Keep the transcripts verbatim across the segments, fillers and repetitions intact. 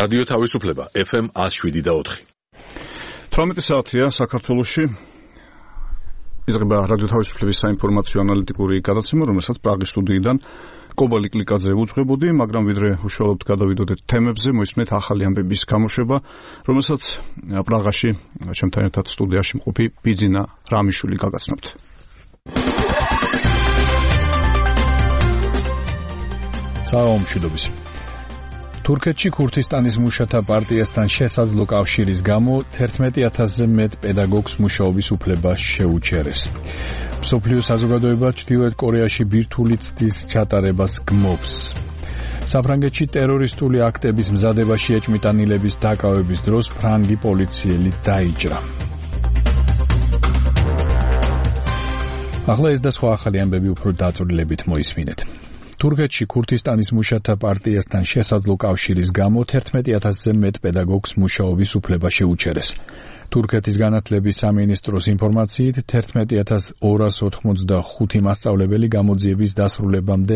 რადიო თავისუფლება ეფ ემ one oh seven და four. თვრამეტი საათია საქართველოში. იზრდება რადიო თავისუფლების საინფორმაციო ანალიტიკური გადაცემა, რომელსაც პრაღის სტუდიიდან კობალი კლიკაძე უძღვებოდი, მაგრამ ვიდრე უშუალოდ გადავიდოდეთ თემებზე, მოისმენთ ახალი ამბების გამოშვება, რომელსაც პრაღაში ჩემთან ერთად სტუდიაში მყოფი ბიძინა რამიშვილი გაგაცნობთ. საომშვიდობის. თურქეთში ქურთისტანის მუშათა პარტიასთან შესაძლო კავშირის გამო თერთმეტი ათასზე მეტ პედაგოგს მუშაობის უფლება შეუჩერეს. მსოფლიო საზოგადოება ჩრდილოეთ კორეაში ბირთვული ცდის ჩატარებას გმობს. საფრანგეთში ტერორისტული აქტების მზადებაში ეჭვმიტანილების დაკავების დროს ფრანგი პოლიციელი დაიჭრა. ახლა ეს და სხვა ახალი ამბები უფრო დაწვრილებით მოისმინეთ. თურქეთში ქურთისტანის მუშათა პარტიასთან შესაძლო კავშირის გამო თერთმეტი ათასზე მეტ პედაგოგს მუშაობის უფლება შეუჩერეს. თურქეთის განათლების სამინისტროს ინფორმაციით თერთმეტი ათას ორას ოთხმოცდახუთი მასწავლებელი გამოძიების დასრულებამდე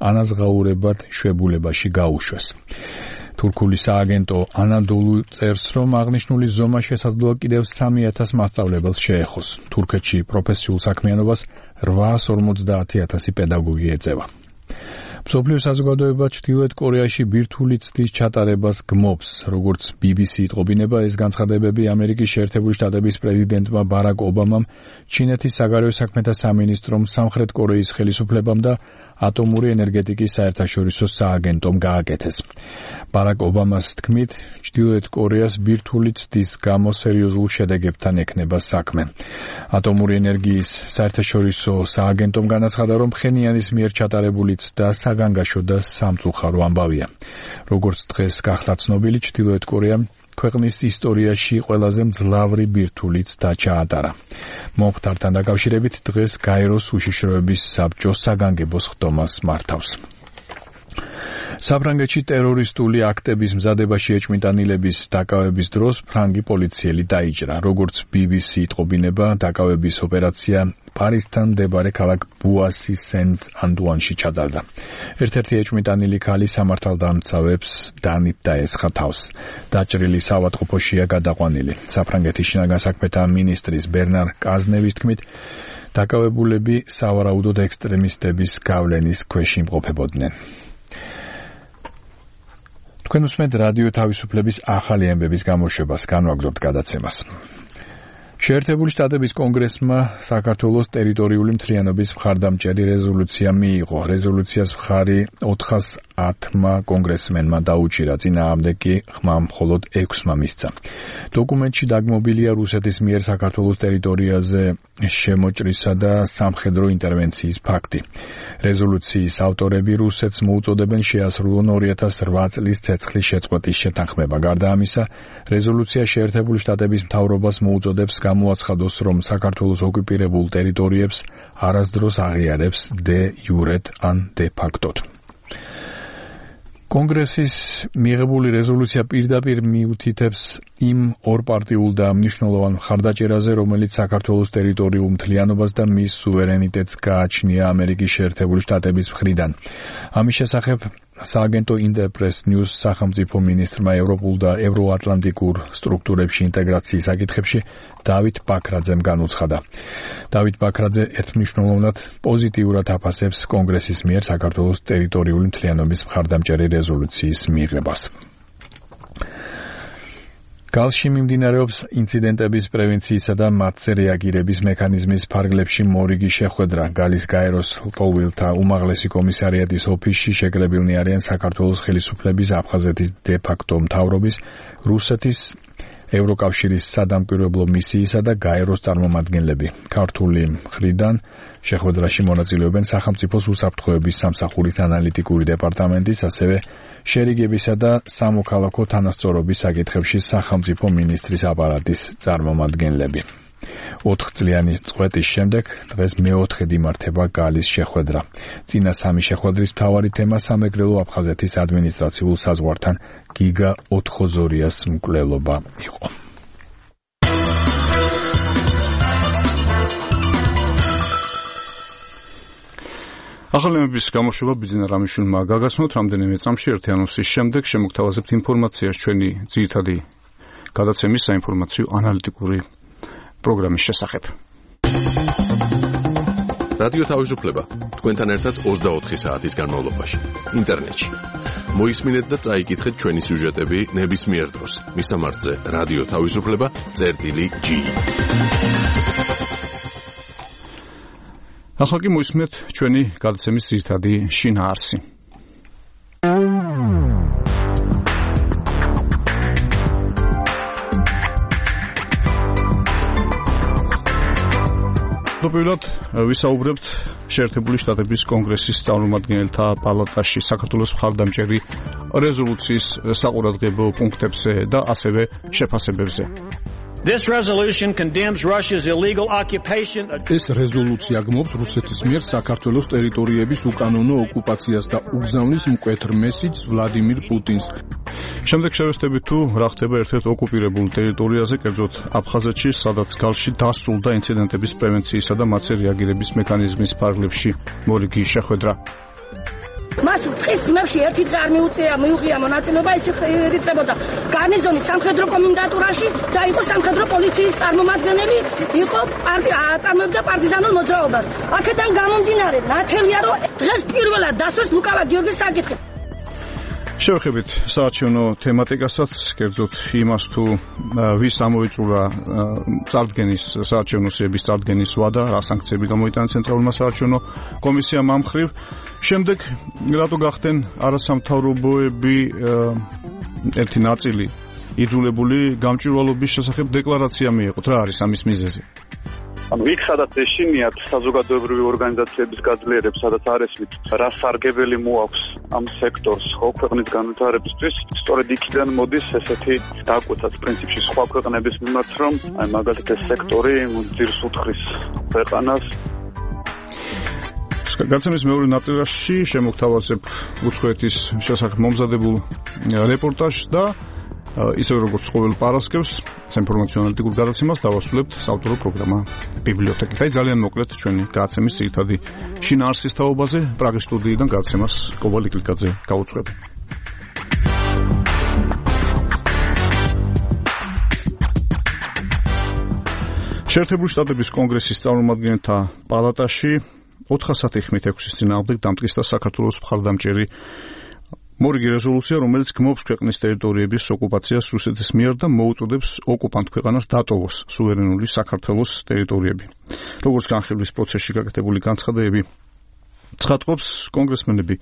ანაზღაურებად შვებულებაში გაუშვეს. თურქული სააგენტო ანადოლუ წერს, რომ აღნიშნული ზომა შესაძლოა კიდევ სამი ათას მასწავლებელს შეეხოს. თურქეთში პროფესიულ საქმიანობას რვაას ორმოცდაათი ათასი პედაგოგი ეწევა. მსოფლიო საზოგადოება ჩრდილოეთ კორეაში ბირთვული ცდის ჩატარებას გმობს. როგორც ბი ბი სი იტყობინება, ეს განცხადებები ამერიკის შეერთებული შტატების პრეზიდენტმა ბარაკ ობამამ, ჩინეთის საგარეო საქმეთა სამინისტრომ, სამხრეთ კორეის ხელისუფლებამ და ატომური ენერგეტიკის საერთაშორისო სააგენტომ გააკეთეს. ბარაკ ობამას თქმით, ჩრდილოეთ კორეას ბირთვული ცდის გამო სერიოზულ შედეგებთან ექნება საქმე. ატომური ენერგიის საერთაშორისო სააგენტომ განაცხადა, რომ ფხენიანის მიერ ჩატარებული ცდა საგანგაშო და სამწუხარო ამბავია. როგორც დღეს გახდა ცნობილი, ჩრდილოეთ კორეამ ქვეყნის ისტორიაში ყველაზე მძლავრი ბირთვული ცდა ჩაატარა. მომხდართან დაკავშირებით დღეს გაეროს უშიშროების საბჭო საგანგებო ხდომას მართავს. საფრანგეთში ტერორისტული აქტების მზადებაში ეჭვმიტანილების დაკავების დროს ფრანგი პოლიციელი დაიჭრა. როგორც ბი ბი სი იტყობინება, დაკავების ოპერაცია პარიზთან მდებარე ქალაქ ბუასი სენტ-ანტუანში ჩატარდა. ერთ-ერთი ეჭვმიტანილი ქალი სამართალდამცავებს დანით დაესხა თავს. დაჭრილი საავადმყოფოშია გადაყვანილი. საფრანგეთის შინაგან საქმეთა მინისტრის ბერნარ კაზნევის თქმით, დაკავებულები სავარაუდოდ ექსტრემისტების გავლენის ქვეშ იმყოფებოდნენ. თქვენ უსმენთ რადიო თავისუფლების ახალი ამბების გამოშვებას, განვაგრძობთ გადაცემას. შეერთებული შტატების კონგრესმა საქართველოს ტერიტორიული მთლიანობის მხარდამჭერი რეზოლუცია მიიღო. რეზოლუციას მხარი ოთხას ათმა კონგრესმენმა დაუჭირა, წინააღმდეგ კი ხმა მხოლოდ ექვსმა მისცა. დოკუმენტში დაგმობილია რუსეთის მიერ საქართველოს ტერიტორიაზე შემოჭრისა და სამხედრო ინტერვენციის ფაქტი. რეზოლუციის ავტორები რუსეთს მოუწოდებენ შეასრულონ ორი ათას ოთხ წლის ცეცხლის შეწყვეტის შეთანხმება. გარდა ამისა, რეზოლუცია შეერთებული შტატების მთავრობას მოუწოდებს გამოაცხადოს, რომ საქართველოს ოკუპირებულ ტერიტორიებს არასდროს აღიარებს დე იურეთ ან დე ფაქტოდ. კონგრესის მიღებული რეზოლუცია პირდაპირ მიუთითებს იმ ორპარტიულ და მნიშვნელოვან მხარდაჭერაზე, რომელიც საქართველოს ტერიტორიულ მთლიანობას და მის სუვერენიტეტს გააჩნია ამერიკის შეერთებული შტატების მხრიდან. ამის შესახებ სააგენტო ინტერპრეს ნიუს სახელმწიფო მინისტრმა ევროპულ და ევროატლანტიკურ სტრუქტურებში ინტეგრაციის საკითხებში დავით ბაქრაძემ განუცხადა. დავით ბაქრაძე ერთმნიშვნელოვნად პოზიტიურად აფასებს კონგრესის მიერ საქართველოს ტერიტორიული მთლიანობის მხარდამჭერი რეზოლუციის მიღებას. გალში მიმდინარეობს ინციდენტების პრევენციისა და მათზე რეაგირების მექანიზმის ფარგლებში მორიგი შეხვედრა. გალის გაეროს ლტოლვილთა უმაღლესი კომისარიატის ოფისში შეკრებილნი არიან საქართველოს ხელისუფლების, აფხაზეთის დე ფაქტო მთავრობის, რუსეთის ევროკავშირის სადამკვირვებლო მისიისა და გაეროს წარმომადგენლები. ქართული მხრიდან შეხვედრაში მონაწილეობენ სახელმწიფოს უსაფრთხოების სამსახურის ანალიტიკური დეპარტამენტის, ასევე შერიგებისა და სამოქალაქო თანასწორობის საკითხებში სახელმწიფო მინისტრის აპარატის წარმომადგენლები. ოთხწლიანი წყვეტის შემდეგ დღეს მეოთხედ იმართება გალის შეხვედრა. წინა სამი შეხვედრის მთავარი თემა სამეგრელო აფხაზეთის ადმინისტრაციულ საზღვართან გიგა ოთხოზორიას მკვლელობა იყო. ახალი ემების გამოშვება ბიძინა რამიშვილმა გაგაცნოთ რამდენიმე წამში ერთი ანონსის შემდეგ შემოგთავაზებთ ინფორმაციას ჩვენი ძირითადი გადაცემის საინფორმაციო ანალიტიკური პროგრამის შესახებ. რადიო თავისუფლება თქვენთან ერთად ოცდაოთხი საათის განმავლობაში ინტერნეტში. მოისმინეთ და წაიკითხეთ ჩვენი სიუჟეტები ნებისმიერ დროს. მისამართზე რადიო თავისუფლება წერტილი ჯი. ახლა კი მოისმინეთ ჩვენი გადაცემის ძირითადი შინაარსი. პირველად ვისაუბრებთ შეერთებული შტატების კონგრესის წარმომადგენელთა პალატაში საქართველოს მხარდამჭერი რეზოლუციის საყურადღებო პუნქტებზე და ასევე შეფასებებზე. This resolution condemns Russia's illegal occupation. ეს რეზოლუცია გმობს რუსეთის მიერ საქართველოს ტერიტორიების უკანონო ოკუპაციას და უგზავნის მკვეთრ მესიჯს ვლადიმირ პუტინს. შემდეგ შევესწრებით თუ რა ხდება ერთ-ერთ ოკუპირებულ ტერიტორიაზე, კერძოდ აფხაზეთში, სადაც გალში დასრულდა ინციდენტების პრევენციისა და მათზე რეაგირების მექანიზმის ფარგლებში მორიგი შეხვედრა. მას ტყის ხმებში ერთი დღე არ მიუწია მიუღია მონაწილეობა, ის ირიცხებოდა გარნიზონის სამხედრო კომენდატურაში და იყო სამხედრო პოლიციის წარმომადგენელი, იყო აწარმოებდა პარტიზანულ მოძრაობას. აქედან გამომდინარე, ნათელია რომ დღეს პირველად დასვეს ლუკავა გიორგის საკითხი. შევეხებით საარჩევნო თემატიკასაც, კერძოდ იმას თუ ვის ამოიწურა წარდგენის საარჩევნო სიების წარდგენის ვადა, რა სანქციები გამოიტანა ცენტრალურმა საარჩევნო კომისიამ ამ მხრივ. შემდეგ რატო გახდნენ არასამთავრობოები ერთი ნაწილი იძულებული გამჭვირვალობის შესახებ დეკლარაცია მიეყოთ. რა არის ამის მიზეზი? ანუ იქ სადაც ეშინიათ საზოგადოებრივი ორგანიზაციების გაძლიერებს, სადაც არ ესმით რა სარგებელი მოაქვს ამ სექტორს ხო ქვეყნის განვითარებისთვის, სწორედ იქიდან მოდის ესეთი დაკვეთაც პრინციპში სხვა ქვეყნების მიმართ, რომ აი მაგალითად ეს სექტორი ძირს უთხრის ქვეყანას. გადაცემის მეორე ნაწილში შემოგთავაზებ უცხოეთის შესახებ მომზადებულ რეპორტაჟს და ისევე როგორც ყოველ პარასკევს საინფორმაციო ანალიტიკურ გადაცემას დავასრულებთ საავტორო პროგრამა ბიბლიოთეკით. აი ძალიან მოკლედ ჩვენი გადაცემის ძირითადი შინაარსის თაობაზე პრაღის სტუდიიდან გადაცემას კობალ იკლიკაძე გაუძღვებ. შეერთებული შტატების კონგრესის წარმომადგენელთა პალატაში ოთხასათი ხმით ექვსის წინააღმდეგ დამტკიცდა საქართველოს მხარდამჭერი მორიგი რეზოლუცია, რომელიც გმობს ქვეყნის ტერიტორიების ოკუპაციას რუსეთის მიერ და მოუწოდებს ოკუპანტ ქვეყანას დატოვოს სუვერენული საქართველოს ტერიტორიები. როგორც განხილვის პროცესში გაკეთებული განცხადებები ცხადყოფს, კონგრესმენები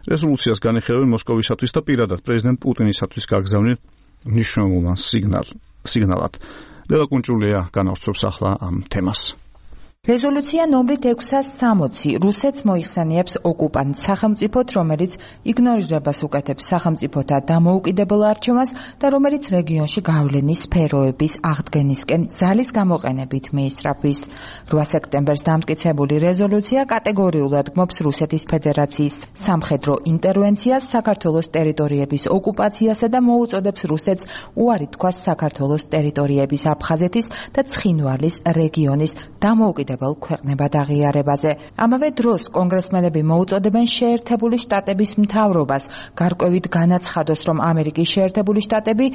რეზოლუციას განიხილავენ მოსკოვისათვის და პირადად პრეზიდენტ პუტინისათვის გაგზავნილ მნიშვნელოვან სიგნალად. ლელა კუნჭულია განავრცობს ახლა ამ თემას. რეზოლუცია ნომრით ექვსას სამოცი რუსეთს მოიხსენიებს ოკუპანტ სახელმწიფოდ, რომელიც იგნორირებას უკეთებს სახელმწიფოთა დამოუკიდებელ არჩევანს და რომელიც რეგიონში გავლენის სფეროების აღდგენისკენ ძალის გამოყენებით მიისწრაფვის. რვა სექტემბერს დამტკიცებული რეზოლუცია კატეგორიულად გმობს რუსეთის ფედერაციის სამხედრო ინტერვენციას, საქართველოს ტერიტორიების ოკუპაციასა და მოუწოდებს რუსეთს უარი თქვას საქართველოს ტერიტორიების აფხაზეთის და ცხინვალის რეგიონის დამოუკიდებელ ქვეყნებად აღიარებაზე. ამავე დროს კონგრესმენები მოუწოდებენ შეერთებული შტატების მთავრობას გარკვევით განაცხადოს, რომ ამერიკის შეერთებული შტატები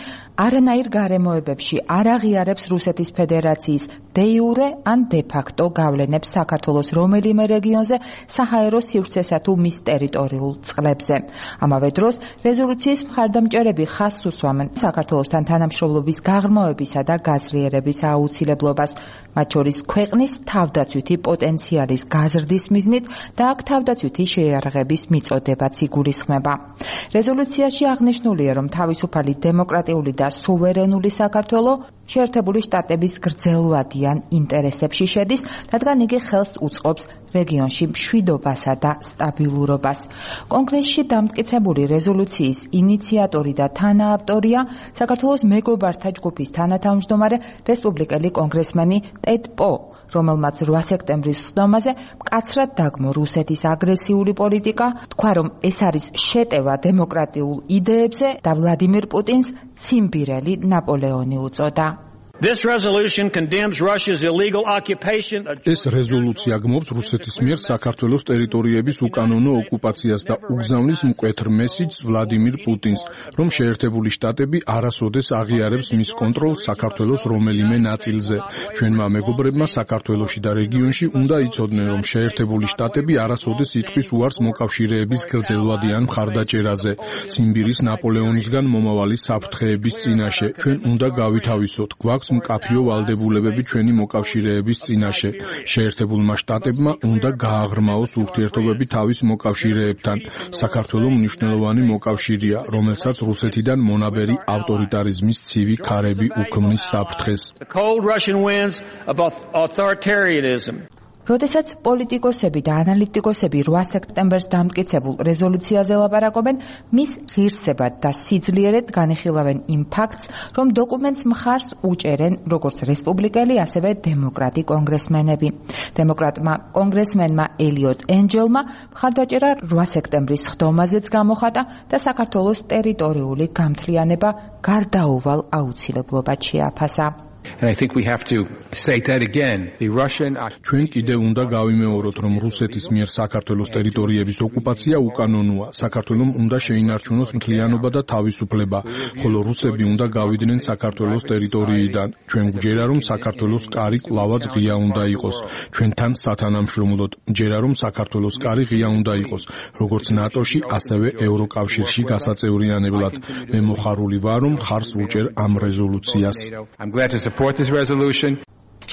არანაირ გარემოებებში არ აღიარებს რუსეთის ფედერაციის დე იურე ან დე ფაქტო გავლენებს საქართველოს რომელიმე რეგიონზე საჰაერო სივრცესა თუ მის ტერიტორიულ წყლებზე. ამავე დროს რეზოლუციის მხარდამჭერები ხაზს უსვამენ საქართველოსთან თანამშრომლობის გაღრმავებისა და გაზრიერების აუცილებლობას, მათ შორის ქვეყნის თავდაცვითი პოტენციალის გაზრდის მიზნით და აქ თავდაცვითი შეიარაღების მიწოდებაც იგულისხმება. რეზოლუციაში აღნიშნულია, რომ თავისუფალი დემოკრატიული და სუვერენული საქართველო შეერთებული შტატების გრძელვადიან ინტერესებში შედის, რადგან იგი ხელს უწყობს რეგიონში მშვიდობასა და სტაბილურობას. კონგრესში დამტკიცებული რეზოლუციის ინიციატორი და თანაავტორია საქართველოს მეგობართა ჯგუფის თანათავმჯდომარე რესპუბლიკელი კონგრესმენი ტედ პო, რომელმაც რვა სექტემბრის სხდომაზე მკაცრად დაგმო რუსეთის აგრესიული პოლიტიკა, თქვა, რომ ეს არის შეტევა დემოკრატიულ იდეებზე და ვლადიმირ პუტინს ციმბირელი ნაპოლეონი უწოდა. This resolution condemns Russia's illegal occupation. ეს რეზოლუცია გმობს რუსეთის მიერ საქართველოს ტერიტორიების უკანონო ოკუპაციას და უგზავნის მკვეთრ მესიჯს ვლადიმირ პუტინს, რომ შეერთებული შტატები არასოდეს აღიარებს მის კონტროლს საქართველოს რომელიმე ნაწილზე. ჩვენმა მეგობრებმა საქართველოში და რეგიონში უნდა იცოდნენ, რომ შეერთებული შტატები არასოდეს იტყვის უარს მოკავშირეების გრძელვადიან მხარდაჭერაზე, ციმბირის ნაპოლეონისგან მომავალი საფრთხეების წინაშე. ჩვენ უნდა გავითავისოთ. გვაქვს მკაფიო ვალდებულებები ჩვენი მოკავშირეების წინაშე. შეერთებულმა შტატებმა უნდა გააღრმაოს ურთიერთობები თავის მოკავშირეებთან. საქართველოს მნიშვნელოვანი მოკავშირეა, რომელსაც რუსეთიდან მონაბერი ავტორიტარიზმის ცივი ქარები უქმნის საფრთხეს. The cold Russian winds of authoritarianism. როდესაც პოლიტიკოსები და ანალიტიკოსები რვა სექტემბერს დამტკიცებულ რეზოლუციაზე ლაპარაკობენ, მის ღირსებად და სიძლიერედ განიხილავენ იმ ფაქტს, რომ დოკუმენტს მხარს უჭერენ როგორც რესპუბლიკელი, ასევე დემოკრატი კონგრესმენები. დემოკრატმა კონგრესმენმა ელიოტ ენჯელმა მხარდაჭერა რვა სექტემბრის ხდომაზეც გამოხატა და საქართველოს ტერიტორიული გამთლიანება გარდაუვალ აუცილებლობად შეაფასა. And I think we have to state that again. The Russian ჩვენ კიდევ უნდა გავიმეოროთ, რომ რუსეთის მიერ საქართველოს ტერიტორიების ოკუპაცია უკანონოა. საქართველოს უნდა შეინარჩუნოს მთლიანობა და თავისუფლება, ხოლო რუსები უნდა გავიდნენ საქართველოს ტერიტორიიდან. ჩვენ გვჯერა, რომ საქართველოს კარი კვლავაც ღია უნდა იყოს. ჩვენთან სათანამშრომლოდ ჯერა, რომ საქართველოს კარი ღია უნდა იყოს, როგორც ნატოში, ასევე ევროკავშირში გასაწევრიანებლად. მე მოხარული ვარ, რომ ხარს ვუჭერ ამ რეზოლუციას. I'm glad to support this resolution.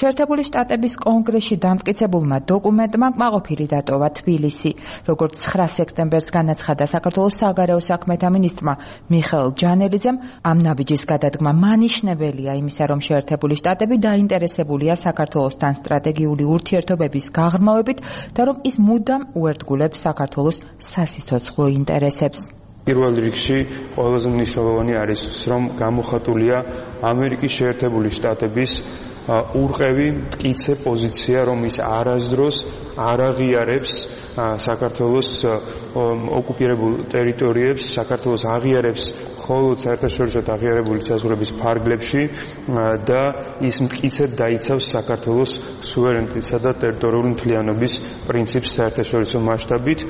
შეერთებული შტატების კონგრესში დამტკიცებულმა დოკუმენტმა კმაყოფილი დატოვა თბილისი. როგორც ცხრა სექტემბერს განაცხადა საქართველოს საგარეო საქმეთა მინისტრმა მიხეილ ჯანელიძემ, ამ ნაბიჯის გადადგმა მანიშნებელია იმისა, რომ შეერთებული შტატები დაინტერესებულია საქართველოსთან სტრატეგიული ურთიერთობების გაღრმავებით და რომ ის მუდამ უერთგულებს საქართველოს სასიცოცხლო ინტერესებს. პირველ რიგში ყველაზე მნიშვნელოვანი არის, რომ გამოხატულია ამერიკის შეერთებული შტატების ურყევი მტკიცე პოზიცია, რომ ის არასდროს არ აღიარებს საქართველოს ოკუპირებულ ტერიტორიებს, საქართველოს აღიარებს მხოლოდ საერთაშორისო აღიარებული საზღვრების ფარგლებში და ის მტკიცედ დაიცავს საქართველოს სუვერენიტეტსა და ტერიტორიული მთლიანობის პრინციპს საერთაშორისო მასშტაბით.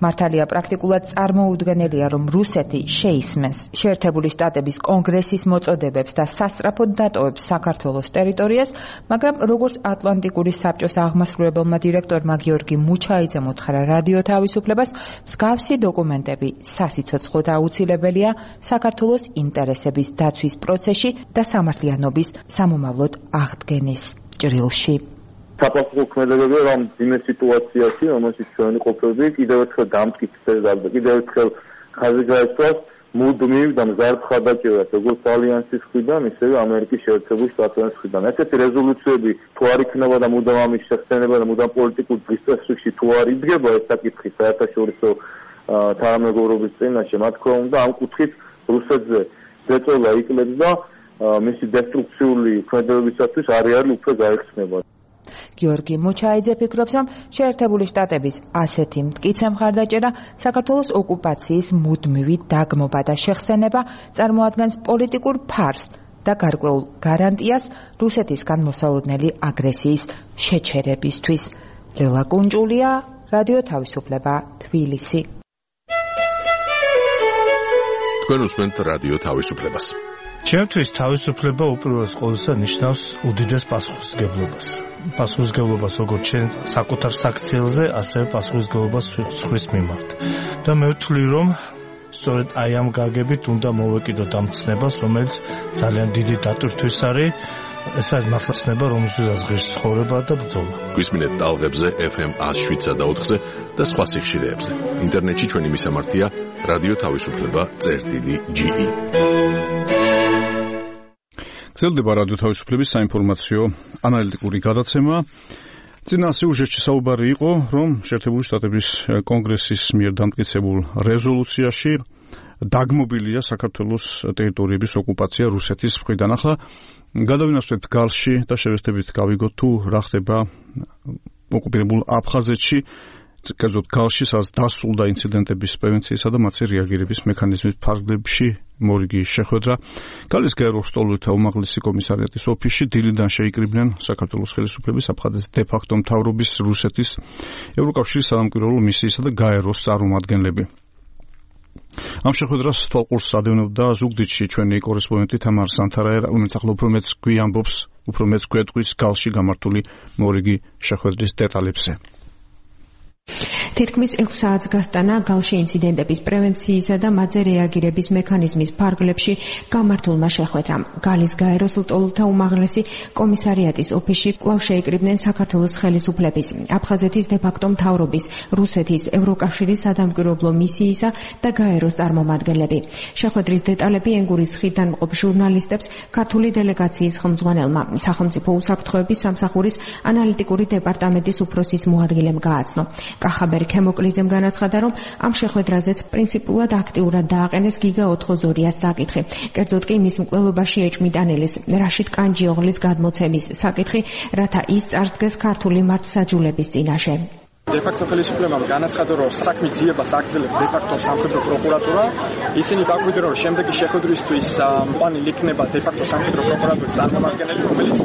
მართალია პრაქტიკულად წარმოუდგენელია, რომ რუსეთი შეისმენს შეერთებული შტატების კონგრესის მოწოდებებს და სასწრაფოდ დატოვებს საქართველოს ტერიტორიას, მაგრამ როგორც ატლანტიკური საბჭოს აღმასრულებელმა დირექტორმა გიორგი მუჩაიძემ უთხრა რადიო თავისუფლებას, მსგავსი დოკუმენტები სასიცოცხლოდ აუცილებელია საქართველოს ინტერესების დაცვის პროცესში და სამართლიანობის სამომავლოდ აღდგენის ჭრილში. საფასურო ქმედებები, რომ ძიმე სიტუაციაში, რომელშიც ჩვენ ყოფილები, კიდევ ერთხელ დამტკიცდეს და კიდევ ერთხელ ხაზი გაეცვალოს მუდმივ და მზარდ მხარდაჭერას, როგორც ალიანსის მხრიდან, ისევე ამერიკის შეერთებული შტატების მხრიდან. ესეთი რეზოლუციები თუ არ იქნება და მუდამ ამის შეხსენება და მუდამ პოლიტიკურ დისკუსიაში თუ არ იდგება ეს საკითხი საერთაშორისო თანამეგობრობის წინაშე, მათ თქმა უნდა, ამ კუთხით რუსეთზე ზეწოლა იკლებს და მისი დესტრუქციული ქმედებებისათვის არეალი უფრო გაიხსნება. გიორგი მუჩაიძე ფიქრობს, რომ შეერთებული შტატების ასეთი მტკიცე მხარდაჭერა საქართველოს ოკუპაციის მუდმივი დაგმობა და შეხსენება წარმოადგენს პოლიტიკურ ფარს და გარკვეულ გარანტიას რუსეთისგან მოსალოდნელი აგრესიის შეჩერებისთვის. ლელა კუნჭულია, რადიო თავისუფლება, თბილისი. თქვენ უსმენთ რადიო თავისუფლებას. ჩემთვის თავისუფლება უპირველეს ყოვლისა ნიშნავს უდიდეს პასუხისმგებლობას. პასუხისმგებლობას როგორც ჩვენ საკუთარ საქციელზე, ასევე პასუხისმგებლობას სხვის მიმართ. და მე ვთვლი, რომ სწორედ აი ამ გაგებით უნდა მოვეკიდოთ ამ ცნებას, რომელიც ძალიან დიდი დატვირთვის არის. ეს არის მართლა ცნება, რომელზეც ღირს ცხოვრება და ბრძოლა. გვისმინეთ ტალღებზე ეფ ემ one oh seven point four და სხვა სიხშირეებზე. ინტერნეტში ჩვენი მისამართია რადიო თავისუფლება წერტილი ჯი ი. გრძელდება რადიო თავისუფლების საინფორმაციო ანალიტიკური გადაცემა. წინა სიუჟეტში საუბარი იყო, რომ შეერთებული შტატების კონგრესის მიერ დამტკიცებულ რეზოლუციაში დაგმობილია საქართველოს ტერიტორიების ოკუპაცია რუსეთის მხრიდან. ახლა გადავინაცვლეთ გალში და შევეცდებით გავიგოთ თუ რა ხდება ოკუპირებულ აფხაზეთში. კერძოდ გალში სადაც დასრულდა ინციდენტების პრევენციისა და მათზე რეაგირების მექანიზმის ფარგლებში მორიგი შეხვედრა. გალის გაეროს სტოლითა უმაღლესი კომისარიატის ოფისში დილიდან შეიკრიბნენ საქართველოს ხელისუფლების აფხაზეთის დე-ფაქტო მთავრობის, რუსეთის, ევროკავშირის სამამკვირვებლო მისიისა და გაეროს წარმომადგენლები. ამ შეხვედრას თვალყურს ადევნებდა ზუგდიდში ჩვენი კორესპონდენტი თამარ სანთარაია, რომელიც ახლა უფრო მეც გვიამბობს, უფრო მეც გვეტყვის გალში გამართული მორიგი შეხვედრის დეტალებზე. თითქმის ექვს საათს გასტანა გალში ინციდენტების პრევენციისა და მათზე რეაგირების მექანიზმის ფარგლებში გამართულმა შეხვედრამ. გალის გაეროს ლტოლვილთა უმაღლესი კომისარიატის ოფისში კვლავ შეიკრიბნენ საქართველოს ხელისუფლების, აფხაზეთის დე-ფაქტო მთავრობის, რუსეთის, ევროკავშირის სადამკვირვებლო მისიისა და გაეროს წარმომადგენლები. შეხვედრის დეტალები ენგურის ხიდთან მყოფ ჟურნალისტებს ქართული დელეგაციის ხელმძღვანელმა, სახელმწიფო უსაფრთხოების სამსახურის ანალიტიკური დეპარტამენტის უფროსის მოადგილემ გააცნო. კახაბერ ქემოკლიძემ განაცხადა, რომ ამ შეხვედრაზეც პრინციპულად აქტიურად დააყენეს გიგა ოთხმოცდაორი-ას საკითხი. კერძოდ კი მის მკვლელობაში ეჭვმიტანილის რაშიდ კანჯიოღლის გადმოცემის საკითხი, რათა ის წარსდგეს ქართული მართლმსაჯულების წინაშე. დე-ფაქტო ხელისუფლებამ განაცხადა, რომ საქმის ძიებას აგრძელებს დე-ფაქტო სამხედრო პროკურატურა. ისინი დაგვიდნენ, რომ შემდეგი შეხვედრისთვის მოყვანილ იქნება დე-ფაქტო სამხედრო პროკურატურის წარმომადგენელი, რომელიც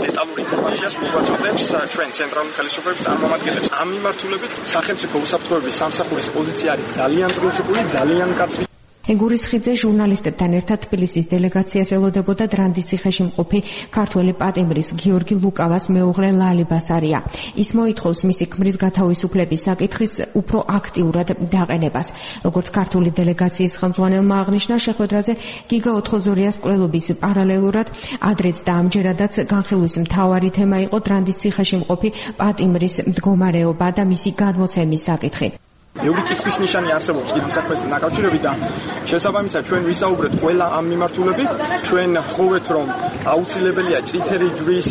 დეტალურ ინფორმაციას მოგვაწოდებს ჩვენ ცენტრალური ხელისუფლების წარმომადგენლებს. ამ მიმართულებით სახელმწიფო უსაფრთხოების სამსახურის პოზიცია არის ძალიან პრინციპული, ძალიან მკაცრი. ენგურის ხიდზე ჟურნალისტებთან ერთად თბილისის დელეგაციას ელოდებოდა დრანდის ციხეში მყოფი ქართველი პატიმრის გიორგი ლუკავას მეუღლე ლალი ბასარია. ის მოითხოვს მისი ქმრის გათავისუფლების საკითხის უფრო აქტიურად დაყენებას. როგორც ქართული დელეგაციის ხელმძღვანელმა აღნიშნა, შეხვედრაზე გიგა ოთხმოცდაორი-ას მკვლელობის პარალელურად ადრეც და ამჯერადაც განხილვის მთავარი თემა იყო დრანდის ციხეში მყოფი პატიმრის მდგომარეობა და მისი გადმოცემის საკითხი. ბევრი კითხვის ნიშანი არსებობს ამ საქმესთან დაკავშირებით და შესაბამისად ჩვენ ვისაუბრეთ ყველა ამ მიმართულებით. ჩვენ ვთხოვეთ, რომ აუცილებელია წითელი ჯვრის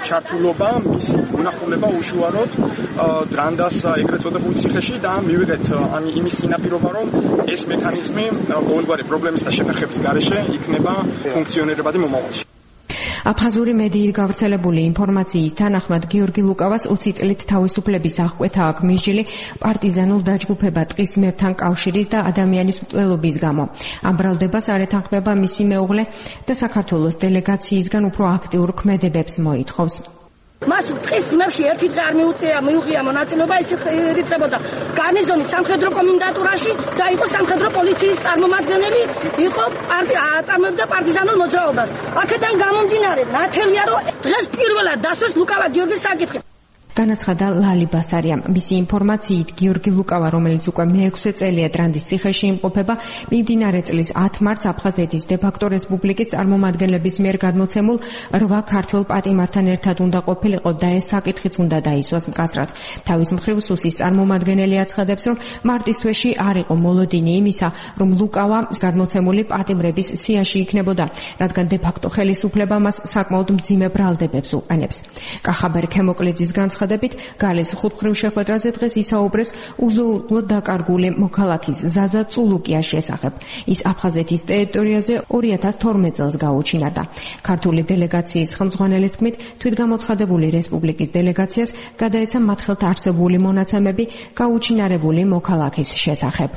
ჩართულობა, მისი უნახულება უშუალოდ დრანდას ეგრეთ წოდებულ ციხეში და მივიღეთ იმის წინაპირობა, რომ ეს მექანიზმი ყოველგვარი პრობლემის და შეფერხების გარეშე იქნება ფუნქციონირებადი მომავალში. აფხაზური მედიით გავრცელებული ინფორმაციის თანახმად გიორგი ლუკავას ოცი წლით თავისუფლების აღკვეთა აქვს მისჯილი პარტიზანულ დაჯგუფებად ტყის ძმებთან კავშირის და ადამიანის მკვლელობის გამო. ამ ბრალდებას არ ეთანხმება მისი მეუღლე და საქართველოს დელეგაციისგან უფრო აქტიურ ქმედებებს მოითხოვს. მას ტყის ძმებში ერთი დღე არ მიუწია მიუღია მონაწილეობა, ის ირიცხებოდა გარნიზონის სამხედრო კომენდატურაში და იყო სამხედრო პოლიციის წარმომადგენელი, იყო აწარმოებდა პარტიზანულ მოძრაობას. აქედან გამომდინარე, ნათელია, რომ დღეს პირველად დასვეს ლუკავა გიორგის საკითხი. განაცხადა ლალი ბასარიამ. მისი ინფორმაციით გიორგი ლუკავა, რომელიც უკვე მეექვსე წელია დრანდის ციხეში იმყოფება, მიმდინარე წლის ათი მარტს აფხაზეთის დე-ფაქტო რესპუბლიკის წარმომადგენლების მიერ გადმოცემულ რვა ქართველ პატიმართან ერთად უნდა ყოფილიყო და ეს საკითხიც უნდა დაისვას მკაცრად. თავის მხრივ სუსის წარმომადგენელი აცხადებს, რომ მარტის თვეში არ იყო მოლოდინი იმისა, რომ ლუკავა გადმოცემული პატიმრების სიაში იქნებოდა, რადგან დე-ფაქტო ხელისუფლება მას საკმაოდ მძიმე ბრალდებებს უყენებს. კახაბერ ქემოკლიძის განცხადებით, გალის ხუთმხრივ შეხვედრაზე დღეს ისაუბრეს უზრუნველად დაკარგული მოქალაქის ზაზა წულუკიას შესახებ. ის აფხაზეთის ტერიტორიაზე ორი ათას თორმეტ წელს გაუჩინარდა. ქართული დელეგაციის ხელმძღვანელის თქმით, თვითგამოცხადებული რესპუბლიკის დელეგაციას გადაეცა მათ ხელთ არსებული მონაცემები გაუჩინარებული მოქალაქის შესახებ.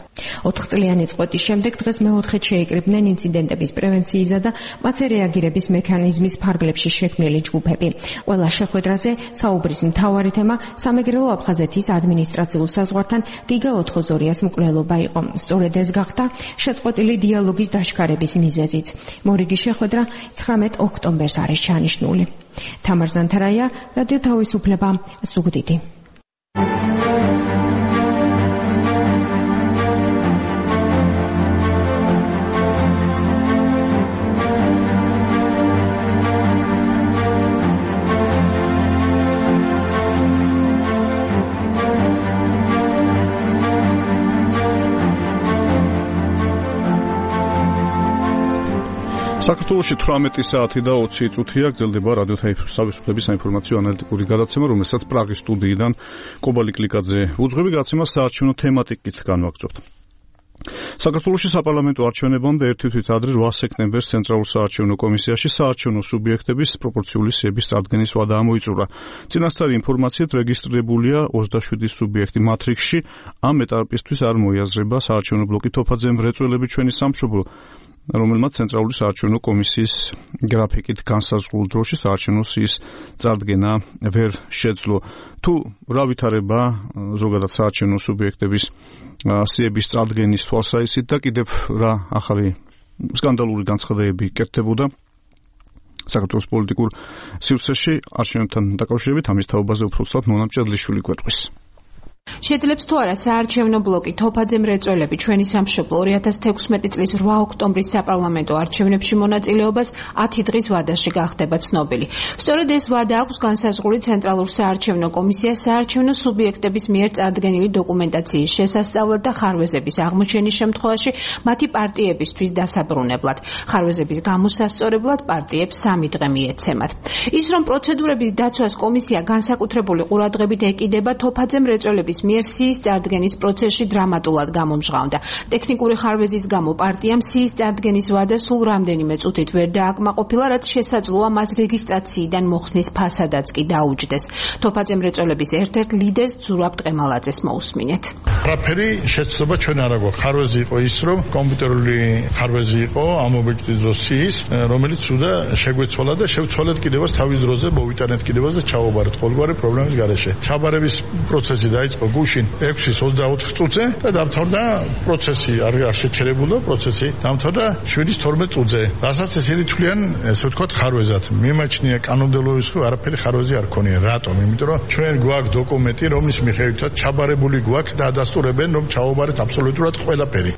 ოთხწლიანი წყვეტის შემდეგ დღეს მეოთხედ შეიკრიბნენ ინციდენტების პრევენციისა და მათზე რეაგირების მექანიზმის ფარგლებში შექმნილი ჯგუფები. ყველა შეხვედრაზე საუბრის მთავარი თემა სამეგრელო აფხაზეთის ადმინისტრაციულ საზღვართან გიგა ოთხმოცდაორი-ას მკვლელობა იყო. სწორედ ეს გახდა შეწყვეტილი დიალოგის დაშქარების მიზეზიც. მორიგი შეხვედრა ცხრამეტ ოქტომბერს არის ჩანიშნული. თამარ ზანთარაია, რადიო თავისუფლება, ზუგდიდი. საქართველოში თვრამეტი საათი და ოცი წუთია გრძელდება რადიო თავისუფლების საინფორმაციო ანალიტიკური გადაცემა, რომელსაც პრაღის სტუდიიდან კობალი კლიკაძე უძღვები. გადაცემას საარჩევნო თემატიკით განვაგრძობთ. საქართველოში საპარლამენტო არჩევნებამდე ერთი თვით ადრე რვა სექტემბერს ცენტრალურ საარჩევნო კომისიაში საარჩევნო სუბიექტების პროპორციული სიების წარდგენის ვადა ამოიწურა. წინასწარი ინფორმაციით რეგისტრირებულია ოცდაშვიდი სუბიექტი მატრიქსში. ამ ეტაპისთვის არ მოიაზრება საარჩევნო ბლოკი თოფაძე მრეწველები ჩვენი სამშობლო, რომელმაც ცენტრალური საარჩევნო კომისიის გრაფიკით განსაზღვრულ დროში საარჩევნო სიის წარდგენა ვერ შეძლო. თუ რა ვითარება ზოგადად საარჩევნო სუბიექტების სიების წარდგენის თვალსაზრისით და კიდევ რა ახალი სკანდალური განცხადებები კეთდებოდა საქართველოს პოლიტიკურ სივრცეში არჩევნებთან დაკავშირებით, ამის თაობაზე უფრო ცუდად ნონა მჭედლიშვილი გვეტყვის. შეძლებს თუ არა საარჩევნო ბლოკი თოფაძე მრეწველები ჩვენი სამშობლო ორი ათას თექვსმეტი წლის რვა ოქტომბრის საპარლამენტო არჩევნებში მონაწილეობას ათი დღის ვადაში გახდება ცნობილი. სწორედ ეს ვადა აქვს განსაზღვრული ცენტრალურ საარჩევნო კომისიას საარჩევნო სუბიექტების მიერ წარდგენილი დოკუმენტაციის შესასწავლად და ხარვეზების აღმოჩენის შემთხვევაში მათი პარტიებისთვის დასაბრუნებლად. ხარვეზების გამოსასწორებლად პარტიებს სამი დღე მიეცემათ. ის რომ პროცედურების დაცვას კომისია განსაკუთრებული ყურადღებით ეკიდება, თოფაძე მრეწველების მიერ სიის წარდგენის პროცესში დრამატულად გამომჟღავნდა. ტექნიკური ხარვეზის გამო პარტიამ სიის წარდგენის ვადა სულ რამდენიმე წუთით ვერ დააკმაყოფილა, რაც შესაძლოა მას რეგისტრაციიდან მოხსნის ფასადაც კი დაუჯდეს. თოფაძე მრეწველების ერთ-ერთ ლიდერს ზურაბ ტყემალაძეს მოусმინეთ. არაფერი შეცდომა ჩვენ არ აქვს. ხარვეზი იყო ის, რომ კომპიუტერული ხარვეზი იყო ამ ობიექტის დროს სიის, რომელიც უდა შეგვეცვალა და შევცვალეთ კიდევაც თავის დროზე, მოვიტანეთ კიდევაც და ჩავაბარეთ ყოველგვარი პრობლემის გარეშე. ჩაბარების პროცესი დაიწყო გუშინ ექვსის ოცდაოთხ წუთზე და დამთავრდა პროცესი, არ შეჩერებულა პროცესი, დამთავრდა შვიდის თორმეტ წუთზე. რასაც ესენი თვლიან, ესე ვთქვათ, ხარვეზად. მიმაჩნია კანონმდებლობის ხო არაფერი ხარვეზი არ ქონია. რატომ? იმიტომ რომ ჩვენ გვაქვს დოკუმენტი, რომლის მიხედვითაც ჩაბარებული გვაქვს და ადასტურებენ, რომ ჩავაბარეთ აბსოლუტურად ყველაფერი.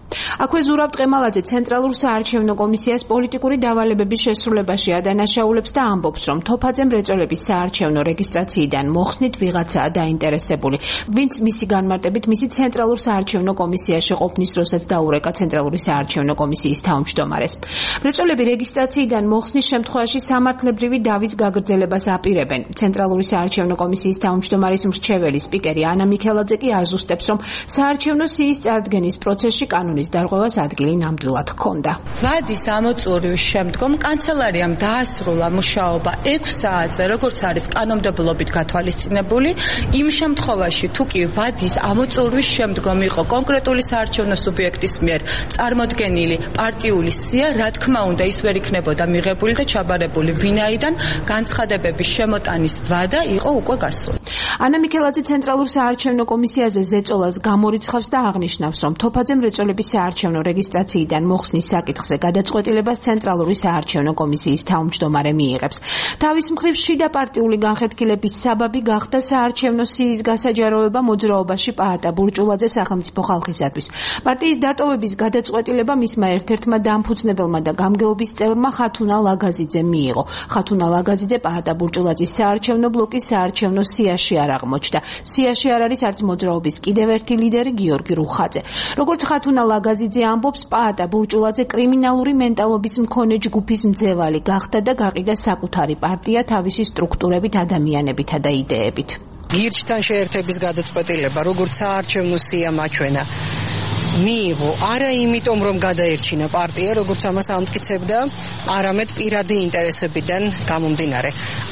აქვე ზურაბ ტყემალაძე ცენტრალურ საარჩევნო კომისიას პოლიტიკური დავალებების შესრულებაში ადანაშაულებს და ამბობს, რომ თოფაძე მრეწველების საარჩევნო რეგისტრაციიდან მოხსნით ვიღაცაა დაინტერესებული, ვინც მისი განმარტებით მისი ცენტრალურ საარჩევნო კომისიაში ყოფნის დროსაც დაურეკა ცენტრალური საარჩევნო კომისიის თავმჯდომარეს. მრეწველები რეგისტრაციიდან მოხსნის შემთხვევაში სამართლებრივი დავის გაგრძელებას აპირებენ. ცენტრალური საარჩევნო კომისიის თავმჯდომარის მრჩეველი სპიკერი ანა მიქელაძე კი აზუსტებს, რომ საარჩევნო სიის წარდგენის პროცესში კანონის დარღვევას ადგილი ნამდვილად ჰქონდა. ვადის ამოწურვის შემდგომ კანცელარიამ დაასრულა მუშაობა ექვს საათზე, როგორც არის კანონმდებლობით გათვალისწინებული, იმ შემთხვევაში თუ კი ვადის ამოწურვის შემდგომ იყო კონკრეტული საარჩევნო სუბიექტის მიერ წარმოდგენილი პარტიული სია, რა თქმა უნდა ის ვერ იქნებოდა მიღებული და ჩაბარებული, ვინაიდან განცხადებების შემოტანის ვადა იყო უკვე გასული. ანა მიქელაძე ცენტრალურ საარჩევნო კომისიაზე ზეწოლას გამორიცხავს და აღნიშნავს, რომ თოფაძე მრეწველების საარჩევნო რეგისტრაციიდან მოხსნის საკითხზე გადაწყვეტილებას ცენტრალური საარჩევნო კომისიის თავმჯდომარე მიიღებს. თავის მხრივ შიდა პარტიული განხეთქილების საბაბი გახდა საარჩევნო სიის გასაჯაროება მოძრაობაში პაატა ბურჭულაძე სახელმწიფო ხალხისათვის. პარტიის დატოვების გადაწყვეტილება მისმა ერთ-ერთმა დამფუძნებელმა და გამგეობის წევრმა ხათუნა ლაგაზიძემ მიიღო. ხათუნა ლაგაზიძე პაატა ბურჭულაძის საარჩევნო ბლოკის საარჩევნო სიაში არ აღმოჩნდა. სიაში არ არის არც მოძრაობის კიდევ ერთი ლიდერი გიორგი რუხაძე. როგორც ხათუნა ლაგაზიძე ამბობს, პაატა ბურჭულაძე კრიმინალური მენტალობის მქონე ჯგუფის მძევალი გახდა და გაყიდა საკუთარი პარტია თავისი სტრუქტურებით, ადამიანებითა და იდეებით. გირჩთან შეერთების გადაწყვეტილება, როგორც საარჩევნო სია მაჩვენა, მიიღო არა იმიტომ, რომ გადაერჩინა პარტია, როგორც ამას ამტკიცებდა, არამედ პირადი ინტერესებიდან გამომდინარე.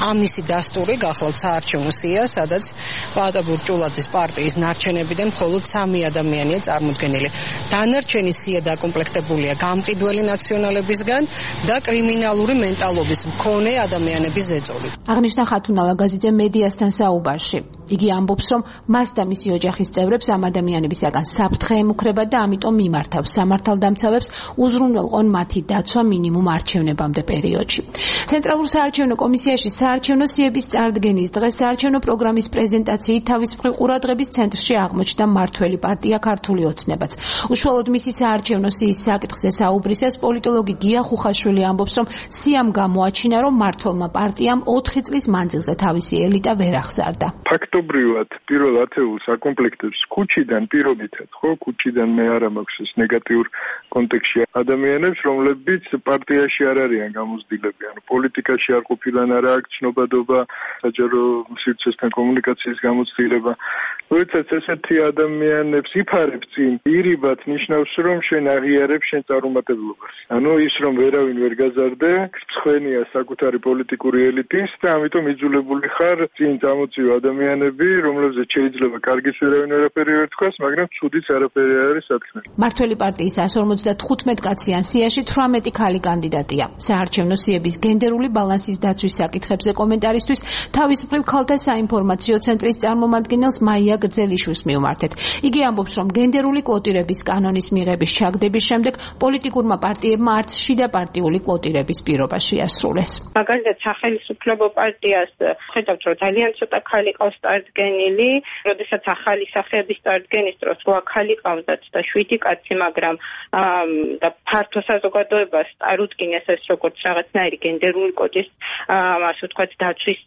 ამისი დასტური გახლავთ საარჩევნო სია, სადაც პაატა ბურჭულაძის პარტიის ნარჩენებიდან მხოლოდ სამი ადამიანია წარმოდგენილი. დანარჩენი სია დაკომპლექტებულია გამყიდველი ნაციონალებისგან და კრიმინალური მენტალობის მქონე ადამიანების ზეწოლით. აღნიშნა ხათუნა ლაგაზიძე მედიასთან საუბარში. იგი ამბობს, რომ მას და მისი ოჯახის წევრებს ამ ადამიანებისაგან საფრთხე ემუქრება და ამიტომ მიმართავს სამართალდამცავებს უზრუნველყონ მათი დაცვა მინიმუმ არჩევნებამდე პერიოდში. ცენტრალურ საარჩევნო კომისიაში საარჩევნო სიების წარდგენის დღეს საარჩევნო პროგრამის პრეზენტაციით თავის მხრივ ყურადღების ცენტრში აღმოჩნდა მმართველი პარტია ქართული ოცნებაც. უშუალოდ მისი საარჩევნო სიის საკითხზე საუბრისას პოლიტოლოგი გია ხუხაშვილი ამბობს, რომ სიამ გამოაჩინა, რომ მმართველმა პარტიამ ოთხი წლის მანძილზე თავისი ელიტა ვერ აღზარდა. ფაქტობრივად პირველ ათეულს აკომპლექტებს ქუჩიდან პირობითად, ხო, ქუჩიდან მე არ მაქვს ეს ნეგატიურ კონტექსტში ადამიანებს, რომლებიც პარტიაში არ არიან გამოცდილები, ანუ პოლიტიკაში არ ყოფილან, არა აქვს ცნობადობა, საჯარო სივრცესთან კომუნიკაციის გამოცდილება როდესაც ესეთი ადამიანებს იფარებ წინ, ირიბად ნიშნავს, რომ შენ აღიარებ შენ წარუმატებლობას. ანუ ის რომ ვერავინ ვერ გაზარდე, მსხვენია საკუთარი პოლიტიკური ელიტის და ამიტომ იძულებული ხარ წინ წამოწიო ადამიანები, რომლებზეც შეიძლება კარგიც ვერავინ არაფერი ვერ თქვას, მაგრამ ცუდიც არაფერი არ არის საქმე. მართველი პარტიის εκατს ორმოცდათხუთმეტ კაციან სიაში თვრამეტი ქალი კანდიდატია. საარჩევნო სიების გენდერული ბალანსის დაცვის საკითხებზე კომენტარისთვის თავისუფლ ქალთა საინფორმაციო ცენტრის წარმომადგენელს მაია გრძელიშვილს მივმართეთ. იგი ამბობს, რომ გენდერული კვოტირების კანონის მიღების ჩაგდების შემდეგ პოლიტიკურმა პარტიებმა არც შიდა პარტიული კვოტირების პირობა შეასრულეს. მაგალითად, სახელმწიფო პარტიას ხედავთ, რომ ძალიან ცოტა ხალი ყავს წარდგენილი, როდესაც ახალი სახეების წარდგენის დროს რვა ხალი ყავდათ და შვიდი კაცი, მაგრამ და ფართო საზოგადოებას წარუდგინეს ეს როგორც რაღაცნაირი გენდერული კოტის, ასე ვთქვათ, დაცვის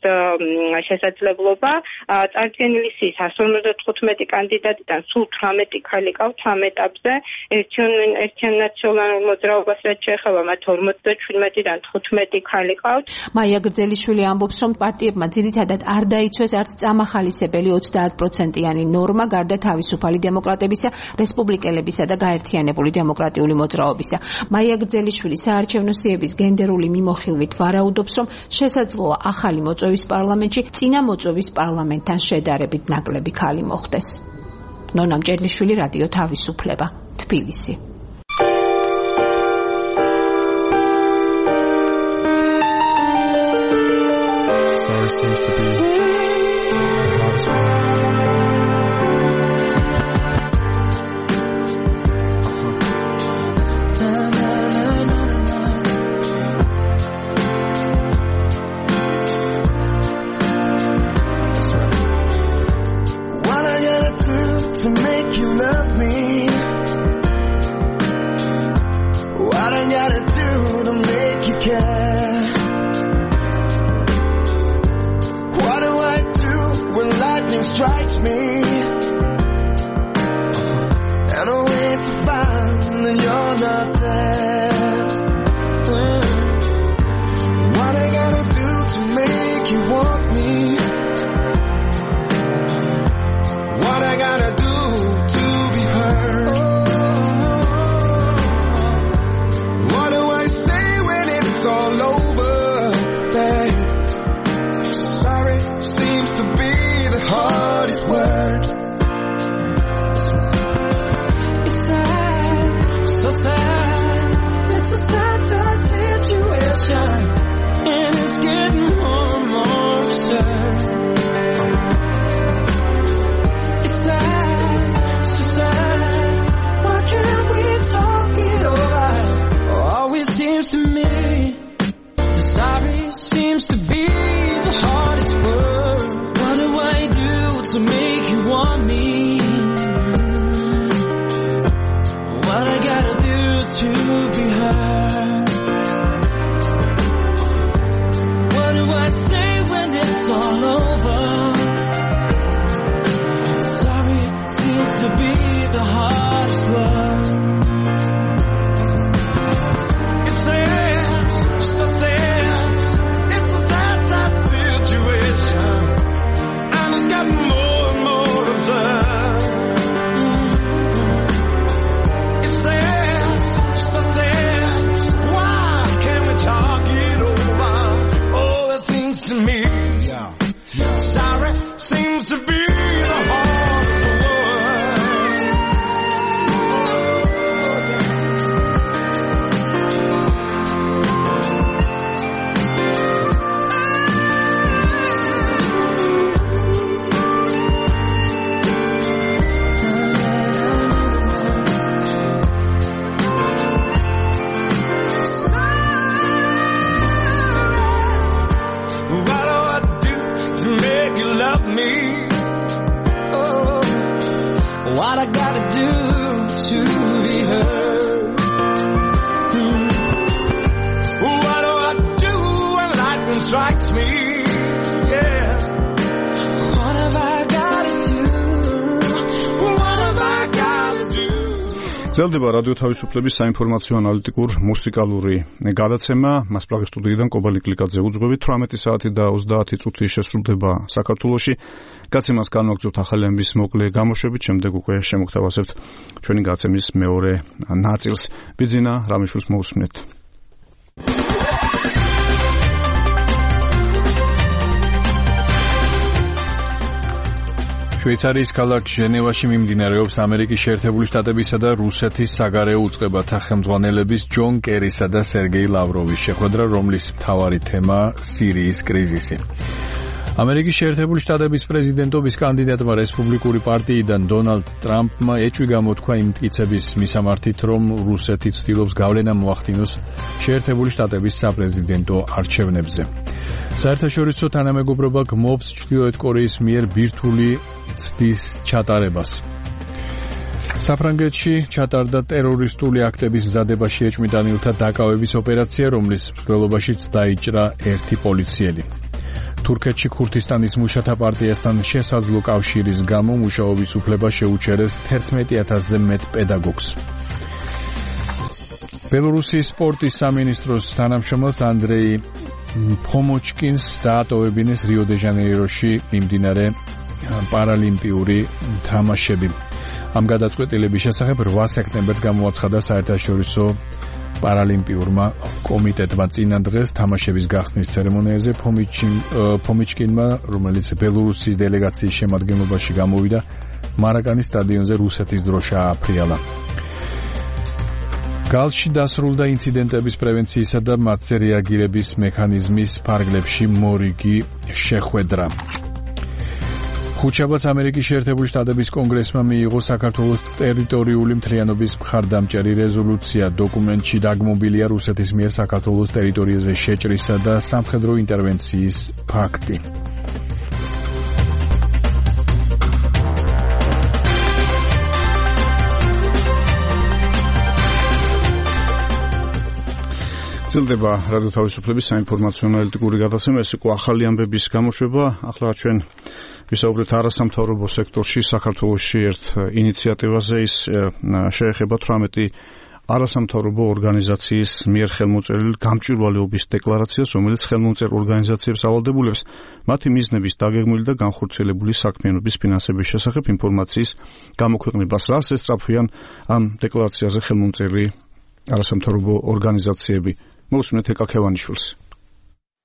შესაძლებლობა. წარდგენილი სიის εκατს ორმოცდათხუთმეტი კანდიდატიდან სულ თვრამეტი ხალი ყავთ ამ ეტაპზე. ერთიან ნაციონალურ მოძრაობას რაც შეეხება, მათ ორმოცდაჩვიდმეტიდან თხუთმეტი ხალი ყავთ. მაია გრძელიშვილი ამბობს, რომ პარტიებმა ძირითადად არ დაიცვეს არც წამახალისებელი ოცდაათ პროცენტიანი ნორმა გარდა თავისუფალი დემოკრატებისა, რესპუბლიკელებისა და გაერთიანებული დემოკრატიული მოძრაობისა. მაია გრძელიშვილი საარჩევნო სიების გენდერული მიმოხილვით ვარაუდობს, რომ შესაძლოა ახალი მოწვევის პარლამენტში წინა მოწვევის პარლამენტთან შედარებით ნაკლები ხალი მოხდეს. ნონა მჭედლიშვილი, რადიო თავისუფლება, თბილისი. Sorry seems to be the hardest one. Strikes me, and I wait to find that you're not there. What I gotta do to make you want me? What I gotta do to be heard? What do I say when it's all over, babe? Sorry seems to be the hardest word. It's sad, so sad. It's a sad, sad situation, and it's getting more and more absurd. It's sad, so sad. Why can't we talk it over? Always seems to me the sorry seems to be the hardest word. What do I do to make you want me? What I gotta do to be heard? What do I say when it's all over? Sorry seems to be the hardest word. It's there, so there. It's that type of situation. It's got more and more absurd. It's there, so there. Why can't we talk it over? Oh, it seems to me, yeah, yeah. Sorry seems to be the hardest word. What do I do to make you love me? Oh, what I gotta do to be heard? Hmm. What do I do when lightning strikes me? Yeah. What have I gotta do? What have I gotta do? გრძელდება რადიო თავისუფლების საინფორმაციო ანალიტიკურ მუსიკალური გადაცემა. მას პრაღის სტუდიიდან კობალი კლიკაძე უძღვებით. თვრამეტი საათი და ოცდაათი წუთი შესრულდება საქართველოში. გაცემას განვაგრძობთ ახალი ამბის მოკლე გამოშვებით, შემდეგ უკვე შემოგთავაზებთ ჩვენი გაცემის მეორე ნაწილს. ბიძინა რამიშვილს მოусმენთ. შვეიცარიის ქალაქ ჟენევაში მიმდინარეობს ამერიკის შეერთებული შტატებისა და რუსეთის საგარეო უწყებათა ხელმძღვანელების ჯონ კერისა და სერგეი ლავროვის შეხვედრა, რომლის მთავარი თემა სირიის კრიზისი. ამერიკის შეერთებული შტატების პრეზიდენტობის კანდიდატმა რესპუბლიკური პარტიიდან დონალდ ტრამპმა ეჭვი გამოთქვა იმ მტკიცების მისამართით, რომ რუსეთი ცდილობს გავლენა მოახდინოს შეერთებული შტატების საპრეზიდენტო არჩევნებზე. საერთაშორისო თანამეგობრობა გმობს ჩრდილოეთ კორეის მიერ ბირთვული ცდის ჩატარებას. საფრანგეთში ჩატარდა ტერორისტული აქტების მზადებაში ეჭვმიტანილთა დაკავების ოპერაცია, რომლის მსვლელობაშიც დაიჭრა ერთი პოლიციელი. თურქეთში ქურთისტანის მუშათა პარტიასთან შესაძლო კავშირის გამო მუშაობის უფლება შეუჩერეს თერთმეტი ათასზე მეტ პედაგოგს. ბელორუსიის სპორტის სამინისტროს თანამშრომელს ანდრეი ფომოჩკინს დაატოვებინეს რიო-დე-ჟანეიროში მიმდინარე პარალიმპიური თამაშები. ამ გადაწყვეტილების შესახებ რვა სექტემბერს გამოაცხადა საერთაშორისო პარალიმპიურმა კომიტეტმა. წინა დღეს თამაშების გახსნის ცერემონიაზე ფომოჩკინმა, რომელიც ბელორუსიის დელეგაციის შემადგენლობაში გამოვიდა, მარაკანის სტადიონზე რუსეთის დრო შეაფრიალა. გალში დასრულდა ინციდენტების პრევენციისა და მათზე რეაგირების მექანიზმის ფარგლებში მორიგი შეხვედრა. ხუთშაბათს ამერიკის შეერთებული შტატების კონგრესმა მიიღო საქართველოს ტერიტორიული მთლიანობის მხარდამჭერი რეზოლუცია. დოკუმენტში დაგმობილია რუსეთის მიერ საქართველოს ტერიტორიაზე შეჭრისა და სამხედრო ინტერვენციის ფაქტი. გრძელდება რადიო თავისუფლების საინფორმაციო ანალიტიკური გადაცემა. ეს იყო ახალი ამბების გამოშვება. ახლა ჩვენ ვისაუბრეთ არასამთავრობო სექტორში საქართველოში ერთ ინიციატივაზე. ის შეეხება თვრამეტი არასამთავრობო ორგანიზაციის მიერ ხელმოწერილ გამჭვირვალეობის დეკლარაციას, რომელიც ხელმომწერ ორგანიზაციებს ავალდებულებს მათი მიზნების დაგეგმილი და განხორციელებული საქმიანობის ფინანსების შესახებ ინფორმაციის გამოქვეყნებას. რას ესწრაფვიან ამ დეკლარაციაზე ხელმომწერი არასამთავრობო ორგანიზაციები? მოусმენთ ეკა ქევანიშვილს.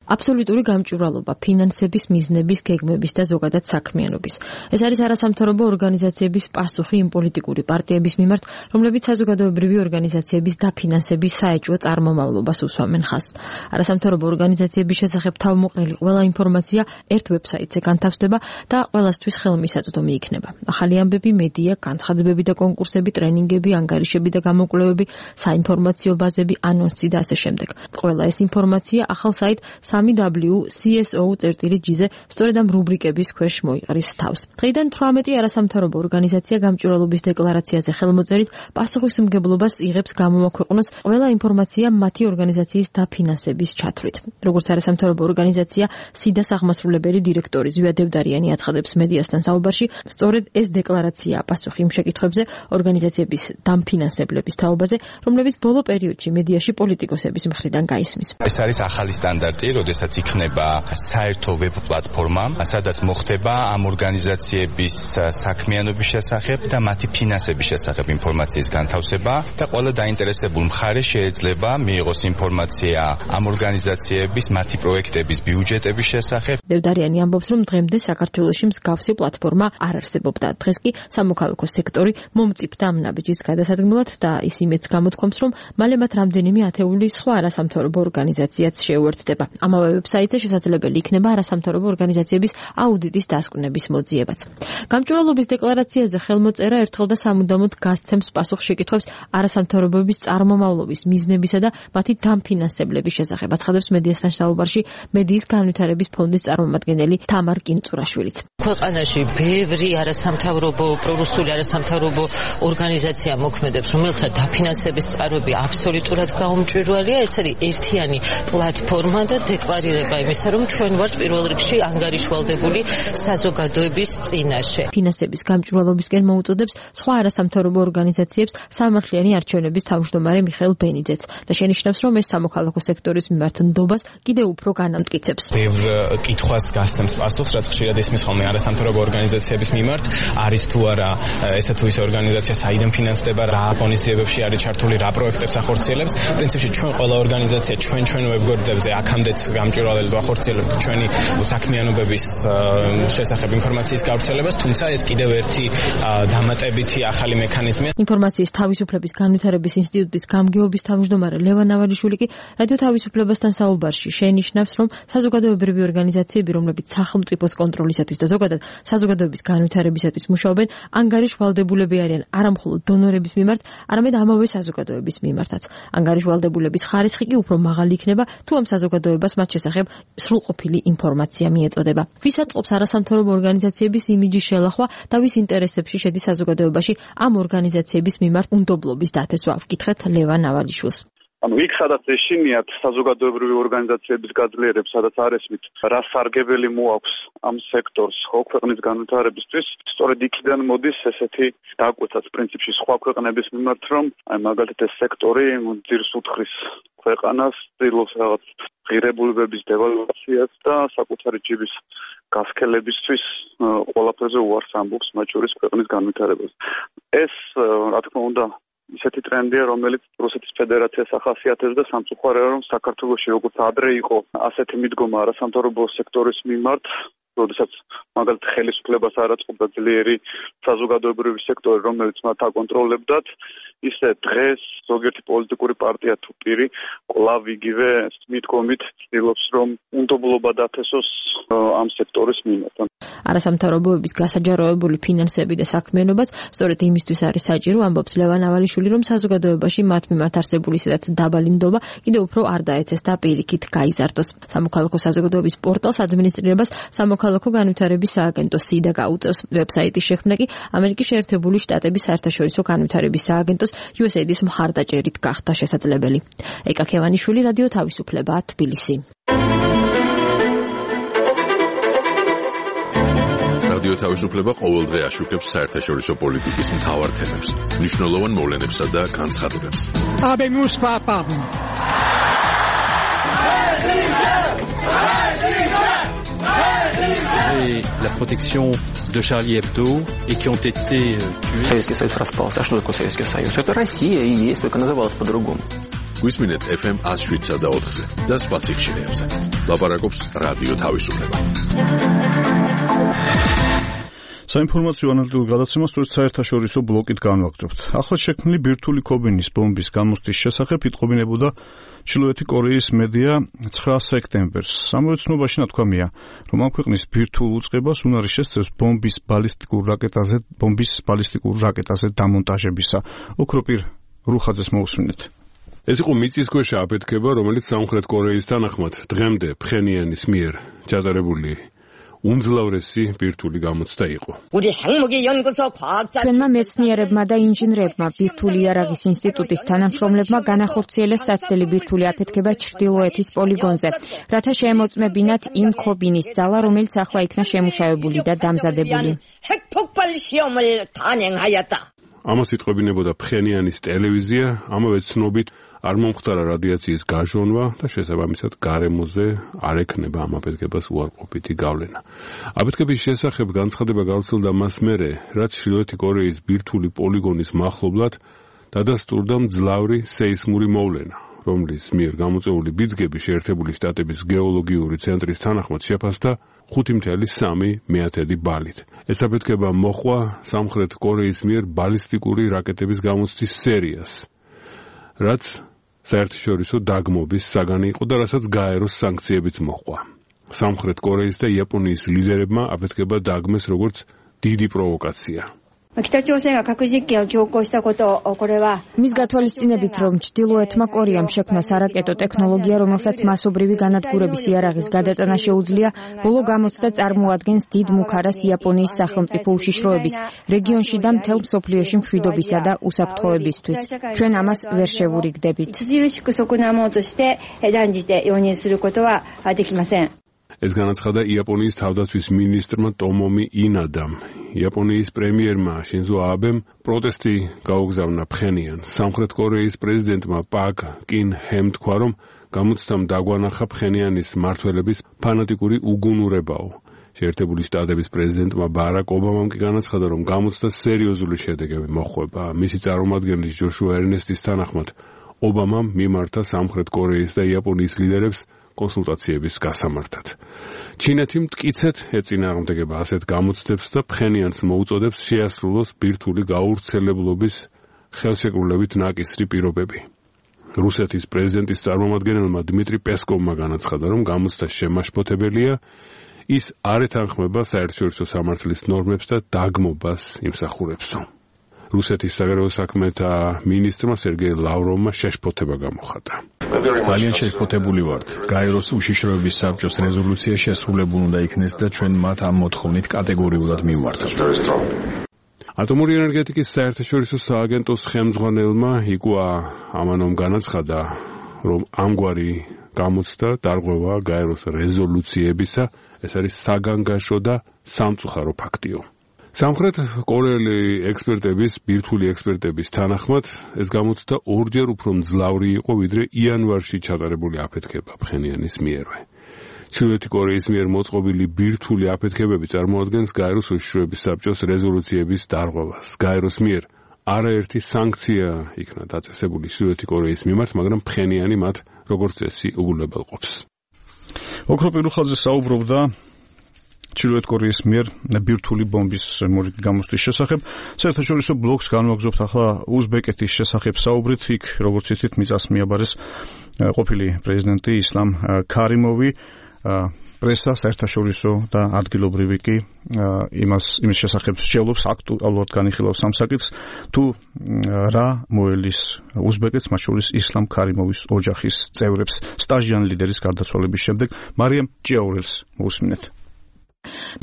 აბსოლუტური გამჭვირვალობა ფინანსების მიზნების გეგმების და ზოგადად საქმიანობის. ეს არის არასამთავრობო ორგანიზაციების პასუხი იმ პოლიტიკური პარტიების მიმართ, რომლებიც საზოგადოებრივი ორგანიზაციების დაფინანსების საეჭვო წარმომავლობას უსვამენ ხაზს. არასამთავრობო ორგანიზაციების შესახებ თავმოყრილი ყველა ინფორმაცია ერთ ვებსაიტზე განთავსდება და ყველასთვის ხელმისაწვდომი იქნება. ახალი ამბები, მედია, განცხადებები და კონკურსები, ტრენინგები, ანგარიშები და გამოკვლევები, საინფორმაციო ბაზები, ანონსი და ასე შემდეგ. ყველა ეს ინფორმაცია ახალ საიტ სამი დაბლიუ სი ეს ო ჯი-ზე სწორედ ამ რუბრიკების ქვეშ მოიყრის თავს. დღეიდან თვრამეტი არასამთავრობო ორგანიზაცია გამჭვირვალობის დეკლარაციაზე ხელმოწერით პასუხისმგებლობას იღებს გამოვაქვეყნოს ყველა ინფორმაცია მათი ორგანიზაციის დაფინანსების ჩათვლით. როგორც არასამთავრობო ორგანიზაცია სიდას აღმასრულებელი დირექტორი ზვია დევდარიანი აცხადებს მედიასთან საუბარში, სწორედ ეს დეკლარაციაა პასუხი იმ შეკითხვებზე ორგანიზაციების დამფინანსებლების თაობაზე, რომლებიც ბოლო პერიოდში მედიაში პოლიტიკოსების მხრიდან გაისმის. ეს არის ახალი სტანდარტი, როდესაც იქნება საერთო ვებ პლატფორმა, სადაც მოხდება ამ ორგანიზაციების საქმიანობის შესახებ და მათი ფინანსების შესახებ ინფორმაციის განთავსება და ყველა დაინტერესებულ მხარე შეიძლება მიიღოს ინფორმაცია ამ ორგანიზაციების მათი პროექტების ბიუჯეტების შესახებ. დევდარიანი ამბობს, რომ დღემდე საქართველოში მსგავსი პლატფორმა არ არსებობდა. დღეს კი სამოქალაქო სექტორი მომწიფდა ამ ნაბიჯის გადასადგმელად და ის იმედს გამოთქვამს, რომ მალე მათ რამდენიმე ათეული სხვა არასამთავრობო ორგანიზაციაც შეუერთდება. ამავე ვებსაიტზე შესაძლებელი იქნება არასამთავრობო ორგანიზაციების აუდიტის დასკვნების მოძიებაც. გამჭვირვალობის დეკლარაციაზე ხელმოწერა ერთხელ და სამუდამოდ გასცემს პასუხს შეკითხვებს არასამთავრობოების წარმომავლობის მიზნებისა და მათი დამფინანსებლების შესახებ. აცხადებს მედიასთან საუბარში მედიის განვითარების ფონდის წარმომადგენელი თამარ კინწურაშვილიც. ქვეყანაში ბევრი არასამთავრობო პრორუსული არასამთავრობო ორგანიზაცია მოქმედებს, რომელთა დაფინანსების წყაროები აბსოლუტურად გაუმჭვირვალეა. ეს არის ერთიანი პლატფორმა და დეკლარირება იმისა, რომ ჩვენ ვართ პირველ რიგში ანგარიშვალდებული საზოგადოების წინაშე. ფინანსების გამჭვირვალობისკენ მოუწოდებს სხვა არასამთავრობო ორგანიზაციებს სამართლიანი არჩევნების თავმჯდომარე მიხეილ ბენიძეც და შენიშნავს, რომ ეს სამოქალაქო სექტორის მიმართ ნდობას კიდევ უფრო განამტკიცებს. ბევრ კითხვას გასცემს პასუხს, რაც ხშირად ისმის ხოლმე არასამთავრობო ორგანიზაციების მიმართ, არის თუ არა ესა თუ ის ორგანიზაცია საიდან ფინანსდება, რა ღონისძიებებში არის ჩართული, რა პროექტებს ახორციელებს. პრინციპში ჩვენ ყველა ორგანიზაცია ჩვენ ჩვენ ვებგვერდებზე აქამდეც გამჭვირვალედ ვახორციელებთ ჩვენი საქმიანობების შესახებ ინფორმაციის გავრცელებას, თუმცა ეს კიდევ ერთი დამატებითი ახალი მექანიზმია. ინფორმაციის თავისუფლების განვითარების ინსტიტუტის გამგეობის თავმჯდომარე ლევან ნავალიშვილი კი რადიო თავისუფლებასთან საუბარში შენიშნავს, რომ საზოგადოებრივი ორგანიზაციები, რომლებიც სახელმწიფოს კონტროლისათვის და ზოგადად საზოგადოების განვითარებისათვის მუშაობენ, ანგარიშვალდებულები არიან არა მხოლოდ დონორების მიმართ, არამედ ამავე საზოგადოების მიმართაც. ანგარიშვალდებულების ხარისხი კი უფრო მაღალი იქნება, თუ ამ საზოგადოებას მათ შესახებ სრულყოფილი ინფორმაცია მიეწოდება. ვის აწყობს არასამთავრობო ორგანიზაციების იმიჯის შელახვა და ვის ინტერესებში შედის საზოგადოებაში ამ ორგანიზაციების მიმართ უნდობლობის დათესვა? ვკითხეთ ლევან ნავალიშვილს. ანუ იქ სადაც ეშინიათ საზოგადოებრივი ორგანიზაციების გაძლიერებს, სადაც არ ესმით რა სარგებელი მოაქვს ამ სექტორს ხო ქვეყნის განვითარებისთვის, სწორედ იქიდან მოდის ესეთი დაკვეთაც პრინციპში სხვა ქვეყნების მიმართ, რომ აი მაგალითად ეს სექტორი ძირს უთხრის ქვეყანას, ცდილობს რაღაც ღირებულებების დევალვაციას და საკუთარი ჯიბის გასქელებისთვის ყველაფერზე უარს ამბობს, მათ შორის ქვეყნის განვითარებას. ეს რა თქმა უნდა ისეთი ტრენდია, რომელიც რუსეთის ფედერაციას ახასიათებს და სამწუხაროა, რომ საქართველოში როგორც ადრე იყო ასეთი მიდგომა არასამთავრობო სექტორის მიმართ, როდესაც მაგალითად ხელისუფლებას არ აწყობდა ძლიერი საზოგადოებრივი სექტორი, რომელიც მათ აკონტროლებდათ, ისე დღეს ზოგიერთი პოლიტიკური პარტია თუ პირი კვლავ იგივე მიდგომით ცდილობს, რომ უნდობლობა დათესოს ამ სექტორის მიმართ. არასამთავრობოების გასაჯაროებული ფინანსები და საქმიანობაც სწორედ იმისთვის არის საჭირო, ამბობს ლევან ნავალიშვილი, რომ საზოგადოებაში მათ მიმართ არსებული სადაც დაბალი ნდობა კიდევ უფრო არ დაეცეს და პირიქით გაიზარდოს. სამოქალაქო საზოგადოების პორტალს ადმინისტრირებას სამოქალაქო განვითარების სააგენტო სიდა გაუწევს. ვებსაიტის შექმნა კი ამერიკის შეერთებული შტატების საერთაშორისო განვითარების სააგენტოს იუ ეს ეი-დის მხარდაჭერით გახდა შესაძლებელი. ეკა ქევანიშვილი, რადიო თავისუფლება, თბილისი. რადიო თავისუფლება ყოველდღე აშუქებს საერთაშორისო პოლიტიკის მთავარ თემებს, მნიშვნელოვან მოვლენებსა და განცხადებებს. Habemus papam. Et la protection de Charlie Hebdo et qui ont été tués. Советский Союз распался. А что такое Советский Союз? Это Россия и есть, только называлась по-другому. გვისმინეთ эф эм one oh seven და four-ზე და სხვა ციხშირეებზე. ლაპარაკობს რადიო თავისუფლება. საინფორმაციო ანალიტიკურ გადაცემას სწორედ საერთაშორისო ბლოკით განვაგრძობთ. ახლად შექმნილი ბირთვული ქობინის ბომბის გამოსტის შესახებ იტყობინებოდა ჩრდილოეთი კორეის მედია nine სექტემბერს. ამავე ცნობაში ნათქვამია, რომ ამ ქვეყნის ბირთვულ უწყებას უნარი შესწევს ბომბის ბალისტიკურ რაკეტაზე, ბომბის ბალისტიკურ რაკეტაზე დამონტაჟებისა. ოქროპირ რუხაძეს მოусმინეთ. ეს იყო მიწისქვეშა აფეთქება, რომელიც სამხრეთ კორეის თანახმად დღემდე ფხენიანის მიერ ჩატარებული უმძლავრესი ბირთვული გამოცდა იყო. ჩვენმა მეცნიერებმა და ინჟინრებმა ბირთვული იარაღის ინსტიტუტის თანამშრომლებმა განახორციელეს საცდელი ბირთვული აფეთქება ჩრდილოეთის პოლიგონზე, რათა შეემოწმებინათ იმ ქობინის ძალა, რომელიც ახლა იქნა შემუშავებული და დამზადებული. ამას იტყობინებოდა ფხენიანის ტელევიზია, ამავე ცნობით არ მომხდარა რადიაციის გაჟონვა და შესაბამისად გარემოზე არ ექნება ამ აფეთქებას უარყოფითი გავლენა. აფეთქების შესახებ განცხადება გავრცელდა მას მერე, რაც ჩრდილოეთი კორეის ბირთვული პოლიგონის მახლობლად დადასტურდა მძლავრი სეისმური მოვლენა, რომლის მიერ გამოწვეული ბიძგები შეერთებული შტატების გეოლოგიური ცენტრის თანახმად შეფასდა ხუთი ათეული მეათედი ბალით. ეს აფეთქება მოჰყვა სამხრეთ კორეის მიერ ბალისტიკური რაკეტების გამოცდის სერიას, რაც საერთაშორისო დაგმობის საგანი იყო და რასაც გაეროს სანქციებიც მოჰყვა. სამხრეთ კორეის და იაპონიის ლიდერებმა აფეთქება დააგმეს როგორც დიდი პროვოკაცია. მის გათვალისწინებით, რომ ჩრდილოეთმა კორეამ შექმნა სარაკეტო ტექნოლოგია, რომელსაც მასობრივი განადგურების იარაღის გადატანა შეუძლია, ბოლო გამოცდა წარმოადგენს დიდ მუქარას იაპონიის სახელმწიფო უშიშროების, რეგიონში და მთელ მსოფლიოში მშვიდობისა და უსაფრთხოებისთვის. ჩვენ ამას ვერ შევურიგდებით. ეს განაცხადა იაპონიის თავდაცვის მინისტრმა ტომომი ინადამ. იაპონიის პრემიერმა შინზო აბემ პროტესტი გაუგზავნა ფხენიანს. სამხრეთ კორეის პრეზიდენტმა პაკ კინ ჰემ თქვა, რომ გამოცდამ დაგვანახა ფხენიანის მმართველების ფანატიკური უგუნურებაო. შეერთებული შტატების პრეზიდენტმა ბარაკ ობამამ კი განაცხადა, რომ გამოცდა სერიოზული შედეგები მოჰყვება. მისი წარმომადგენლის ჯოშუა ერნესტის თანახმად, ობამამ მიმართა სამხრეთ კორეის და იაპონიის ლიდერებს კონსულტაციების გასამართად. ჩინეთი მტკიცედ ეწინააღმდეგება ასეთ გამოცდებს და ფხენიანს მოუწოდებს შეასრულოს ბირთვული გაავრცელებლობის ხელშეკრულებით ნაკისრი პირობები. რუსეთის პრეზიდენტის წარმომადგენელმა დმიტრი პესკოვმა განაცხადა, რომ გამოცდა შემაშფოთებელია, ის არ ეთანხმება საერთაშორისო სამართლის ნორმებს და დაგმობას იმსახურებსო. რუსეთის საგარეო საქმეთა მინისტრმა სერგეი ლავროვმა შეშფოთება გამოხატა. ძალიან შეშფოთებული ვართ. გაეროს უშიშროების საბჭოს რეზოლუცია შესრულებული უნდა იქნეს და ჩვენ მათ ამ მოთხოვნით კატეგორიულად მივმართავთ. ატომური ენერგეტიკის საერთაშორისო სააგენტოს ხელმძღვანელმა იკუა ამანომ განაცხადა, რომ ამგვარი გამოცდა დარღვევა გაეროს რეზოლუციებისა, ეს არის საგანგაშო და სამწუხარო ფაქტიო. სამხრეთ კორეელი ექსპერტების, ბირთვული ექსპერტების თანახმად, ეს გამოცდა ორჯერ უფრო მძლავრი იყო, ვიდრე იანვარში ჩატარებული აფეთქება ფხენიანის მიერვე. ჩრდილოეთი კორეის მიერ მოწყობილი ბირთვული აფეთქებები წარმოადგენს გაეროს უშიშროების საბჭოს რეზოლუციების დარღვევას. გაეროს მიერ არაერთი სანქცია იქნა დაწესებული ჩრდილოეთი კორეის მიმართ, მაგრამ ფხენიანი მათ როგორც წესი უგულებელყოფს. ოქრო პირუხაძე საუბრობდა ჩრდილოეთ კორეის მიერ ბირთვული ბომბის მორიგი გამოსვლის შესახებ. საერთაშორისო ბლოკს განვაგრძობთ ახლა უზბეკეთის შესახებ საუბრით. იქ როგორც იცით, მიწას მიაბარეს ყოფილი პრეზიდენტი ისლამ ქარიმოვი. პრესა საერთაშორისო და ადგილობრივი კი იმას იმის შესახებ შეძლობს აქტუალურად განიხილავს ამ საკითხს, თუ რა მოელის უზბეკეთს, მათ შორის ისლამ ქარიმოვის ოჯახის წევრებს სტაჟიან ლიდერის გარდაცვალების შემდეგ. მარიამ ჭიაურელს მოусმინეთ.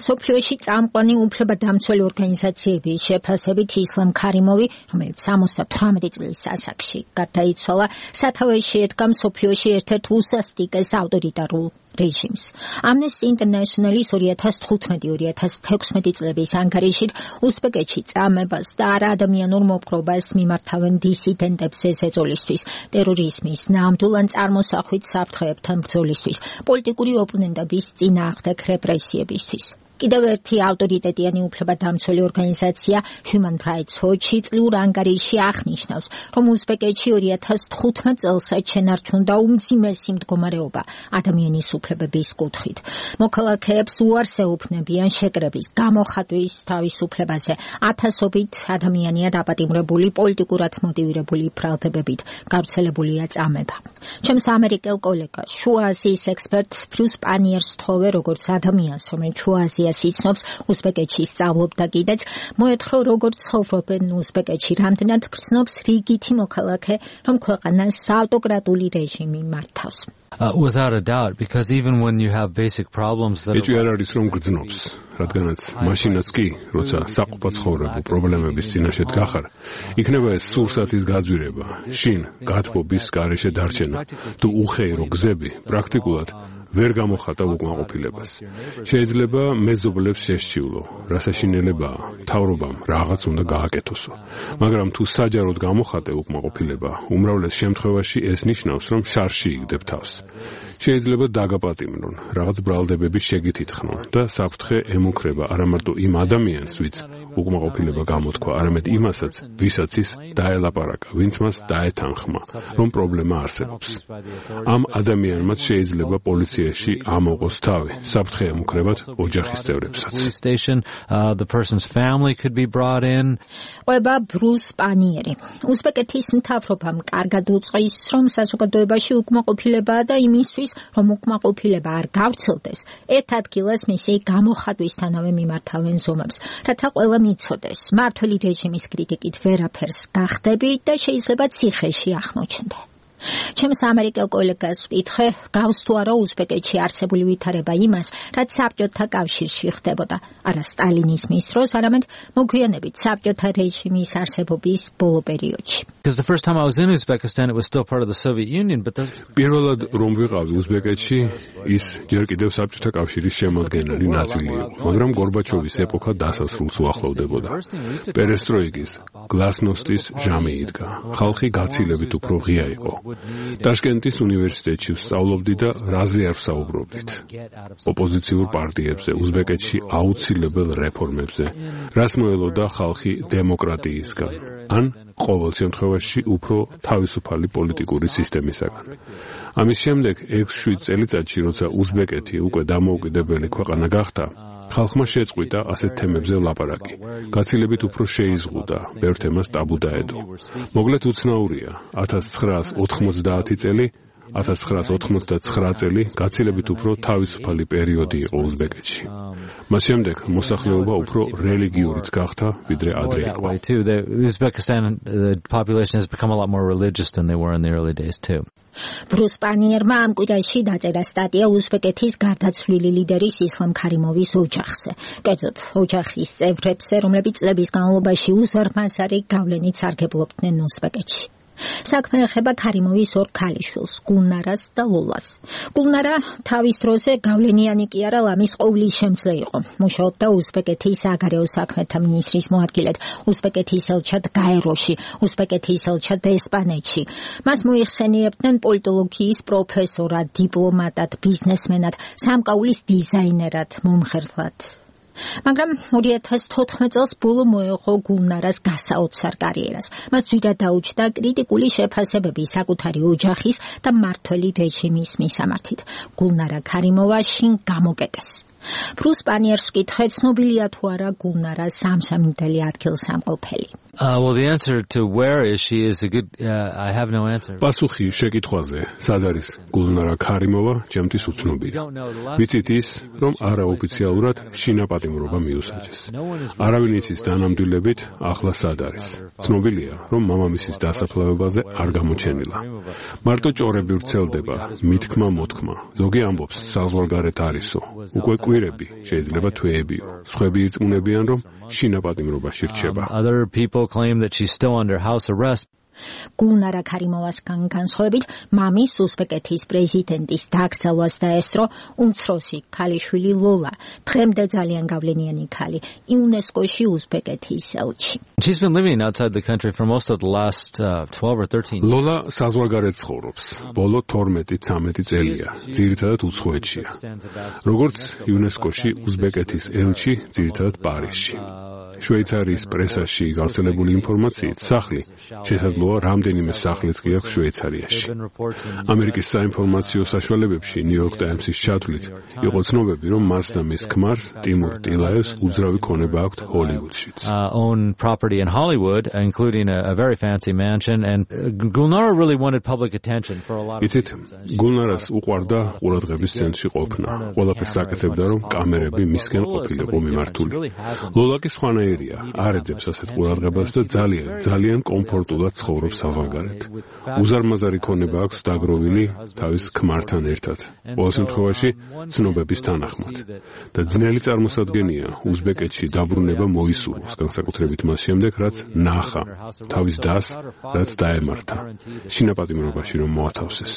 სოფლიოში წამყვანი უფლებადამცველი ორგანიზაციების შეფასებით ისლამ ქარიმოვი, რომელიც სამოცდათვრამეტი წლის ასაკში გარდაიცვალა, სათავეში ედგა მსოფლიოში ერთ-ერთ უსასტიკეს ავტორიტარულ რეჟიმს. Amnesty International-ის ორი ათას თხუთმეტი ორი ათას თექვსმეტი წლების ანგარიშით უზბეკეთში წამებას და არაადამიანურ მოპყრობას მიმართავენ დისიდენტებს ეწოლისთვის, ტერორიზმის ნამდვილ ან წარმოსახვით საფრთხეებთან ბრძოლისთვის, პოლიტიკური ოპონენტების წინააღმდეგ რეპრესიებისთვის. კიდევ ერთი ავტორიტეტიანი უფლებადამცველი ორგანიზაცია Human Rights Watch წლიურ ანგარიში აღნიშნავს, რომ უზბეკეთში ორი ათას თხუთმეტ წელსაც შენარჩუნდა უმძიმესი მდგომარეობა ადამიანის უფლებების კუთხით. მოქალაქეებს უარს ეუბნებიან შეკრების, გამოხატვის თავისუფლებაზე. ათასობით ადამიანია დაპატიმრებული პოლიტიკურად მოტივირებული ბრალდებებით, გავრცელებულია წამება. ჩემს ამერიკელ კოლეგას, შუა აზიის ექსპერტ ბრიუს პანიერს თხოვე, როგორც ადამიანს, რომელიც შუა აზიას იცნობს, უზბეკეთში სწავლობდა კიდეც, მოეთხოვა, როგორც ცხოვრობენ უზბეკეთში, რამდენად გრძნობს რიგითი მოქალაქე, რომ ქვეყანას საავტოკრატული რეჟიმი მართავს. Uh, without a doubt, because even when you have basic problems that ეჭვი არ არის რომ გრძნობს, რადგანაც მაშინაც კი, როცა საყოფა ცხოვრებო პრობლემების წინაშე დგახარ, იქნება ეს სურსათის გაძვირება, შინ გათბობის გარეშე დარჩენა, თუ უხეირო გზები პრაქტიკულად ვერ გამოხატა უკმაყოფილებას. შეიძლება მეზობლებს შესჩივლო, რასაშინელებაა, მთავრობამ რაღაც უნდა გააკეთოსო. მაგრამ თუ საჯაროდ გამოხატე უკმაყოფილება, უმრავლეს შემთხვევაში ეს ნიშნავს, რომ შარში იგდებ თავს. შეიძლება დაგაპატიმრონ, რაღაც ბრალდებების შეგით ითხრონ და საფრთხე ემუქრება არა მარტო იმ ადამიანს, ვინც უკმაყოფილება გამოთქვა, არამედ იმასაც, ვისაც ის დაელაპარაკა, ვინც მას დაეთანხმა, რომ პრობლემა არსებობს. ამ ადამიანმაც შეიძლება პოლიცია სიკვდილეში ამოყოს თავი საფრთხე ემუქრებათ ოჯახის წევრებსაც. The person's family could be brought in. ყვება ბრუს პანიერი. უზბეკეთის მთავრობამ კარგად უწყის, რომ საზოგადოებაში უკმაყოფილებაა და იმისთვის, რომ უკმაყოფილება არ გავრცელდეს, ერთ ადგილას მისი გამოხატვისთანავე მიმართავენ ზომებს, რათა ყველა მიცოდეს, მმართველი რეჟიმის კრიტიკით ვერაფერს გახდები და შეიძლება ციხეში აღმოჩნდე. ჩემს ამერიკელ კოლეგას ვკითხე, გავს თუ არა უზბეკეთში არსებული ვითარება იმას, რაც საბჭოთა კავშირში ხდებოდა, არა სტალინიზმის დროს, არამედ მოგვიანებით საბჭოთა რეჟიმის არსებობის ბოლო პერიოდში. Because the first time I was in Uzbekistan, it was still part of the Soviet Union, but the... პირველად რომ ვიყავი უზბეკეთში, ის ჯერ კიდევ საბჭოთა კავშირის შემადგენელი ნაწილი იყო, მაგრამ გორბაჩოვის ეპოქა დასასრულს უახლოვდებოდა. პერესტროიკის, გლასნოსტის ჟამი იდგა. ხალხი გაცილებით უფრო ღია იყო. ტაშკენტის უნივერსიტეტში ვსწავლობდი და რაზე არ ვსაუბრობდით. ოპოზიციურ პარტიებზე, უზბეკეთში აუცილებელ რეფორმებზე, რას მოელოდა ხალხი დემოკრატიისგან, ან ყოველ შემთხვევაში უფრო თავისუფალი პოლიტიკური სისტემისაგან. ამის შემდეგ ექვს შვიდ წელიწადში, როცა უზბეკეთი უკვე დამოუკიდებელი ქვეყანა გახდა, ხალხმა შეწყვიტა ასეთ თემებზე ლაპარაკი. გაცილებით უფრო შეიზღუდა, ბევრ თემას ტაბუ დაედო. მოგლეთ უცნაურია, ათას ცხრაას ოთხმოცდაათი წელი, ათას ცხრაას ოთხმოცდაცხრა წელი გაცილებით უფრო თავისუფალი პერიოდი იყო უზბეკეთში. მას შემდეგ მოსახლეობა უფრო რელიგიურიც გახდა, ვიდრე ადრე იყო. The Uzbekistan the population has become a lot more religious than they were in the early days too. ბრუს პანიერმა ამ კვირაში დაწერა სტატია უზბეკეთის გარდაცვლილი ლიდერის ისლამ ქარიმოვის ოჯახზე. კერძოდ, ოჯახის წევრებზე, რომლებიც წლების განმავლობაში უზარმაზარი გავლენით სარგებლობდნენ უზბეკეთში. საქმე ეხება ქარიმოვის ორ ქალიშვილს, გულნარას და ლოლას. გულნარა თავის დროზე გავლენიანი კი არა, ლამის ყოვლის შემძლე იყო. მუშაობდა უზბეკეთის საგარეო საქმეთა მინისტრის მოადგილედ, უზბეკეთის ელჩად გაეროში, უზბეკეთის ელჩად ესპანეთში. მას მოიხსენიებდნენ პოლიტოლოგიის პროფესორად, დიპლომატად, ბიზნესმენად, სამკაულის დიზაინერად, მომხერლად. მაგრამ ორი ათას თოთხმეტ წელს ბოლო მოეღო გულნარას გასაოცარ კარიერას. მას ძვირად დაუჯდა კრიტიკული შეფასებები საკუთარი ოჯახის და მმართველი რეჟიმის მისამართით. გულნარა ქარიმოვა შინ გამოკეტეს. ბრუს პანიერს ვკითხე, ცნობილია თუ არა გულნარას სამსამიტელი ადგილსამყოფელი. Uh, well, the answer to where is she is a good. Uh, I have no answer. პასუხი შეკითხვაზე, სად არის გულნარა ქარიმოვა, ჩემთვის უცნობია. ვიცით ის, რომ არაოფიციალურად შინაპატიმრობა მიუსაჯეს. არავინ იცის დანამდვილებით, ახლა სად არის. ცნობილია, რომ მამამისის დასაფლავებაზე არ გამოჩენილა. მარტო ჭორები ვრცელდება, მithქმა მოთქმა. ზოგი ამბობს, საზღვარგარეთ არისო. უკვე კვირები, შეიძლება თვეებიო. სხვები ირწმუნებიან, რომ შინაპატიმრობაში რჩება. Other people claim that she's still under house arrest. გულნარა ქარიმოვასგან განსხვავებით, მამის უზბეკეთის პრეზიდენტის დაკრძალვას დაესწრო უმცროსი ქალიშვილი ლოლა, დღემდე ძალიან გავლენიანი ქალი, იუნესკოში უზბეკეთის ელჩი. She's been living outside the country for most of the last uh, twelve or thirteen years. ლოლა საზღვარგარეთ ცხოვრობს. ბოლო თორმეტი ცამეტი წელია. ძირითადად უცხოეთშია. როგორც იუნესკოში უზბეკეთის ელჩი, ძირითადად პარიზში. შვეიცარიის პრესაში გავრცელებული ინფორმაციით, სახლი შესაძლოა რამდენიმე სახლიც კი აქვს შვეიცარიაში. ამერიკის საინფორმაციო საშუალებებში ნიუ-იორკ ტაიმსის ჩათვლით იყო ცნობები, რომ მას და მის ქმარს ტიმურ ტილაევს უძრავი ქონება აქვთ ჰოლივუდშიც. Own property in Hollywood, including a, a very fancy mansion, and Gulnara really wanted public attention for a lot of reasons. გულნარას უყვარდა ყურადღების ცენტრში ყოფნა. ყველაფერს აკეთებდა, რომ კამერები მისკენ ყოფილიყო მიმართული. ლოლა კი სხვანაირია, არ ეძებს ასეთ ყურადღებას და ძალიან, ძალიან კომფორტულად ცხოვრობს საზღვარგარეთ. უზარმაზარი ქონება აქვს დაგროვილი თავის ქმართან ერთად. ყოველ შემთხვევაში ცნობების თანახმად. და ძნელი წარმოსადგენია, უზბეკეთში დაბრუნება მოისურვოს, განსაკუთრებით მას შემდეგ, რაც ნახა თავის დას, რაც დაემართა. შინაპატიმრობაში რომ მოათავსეს.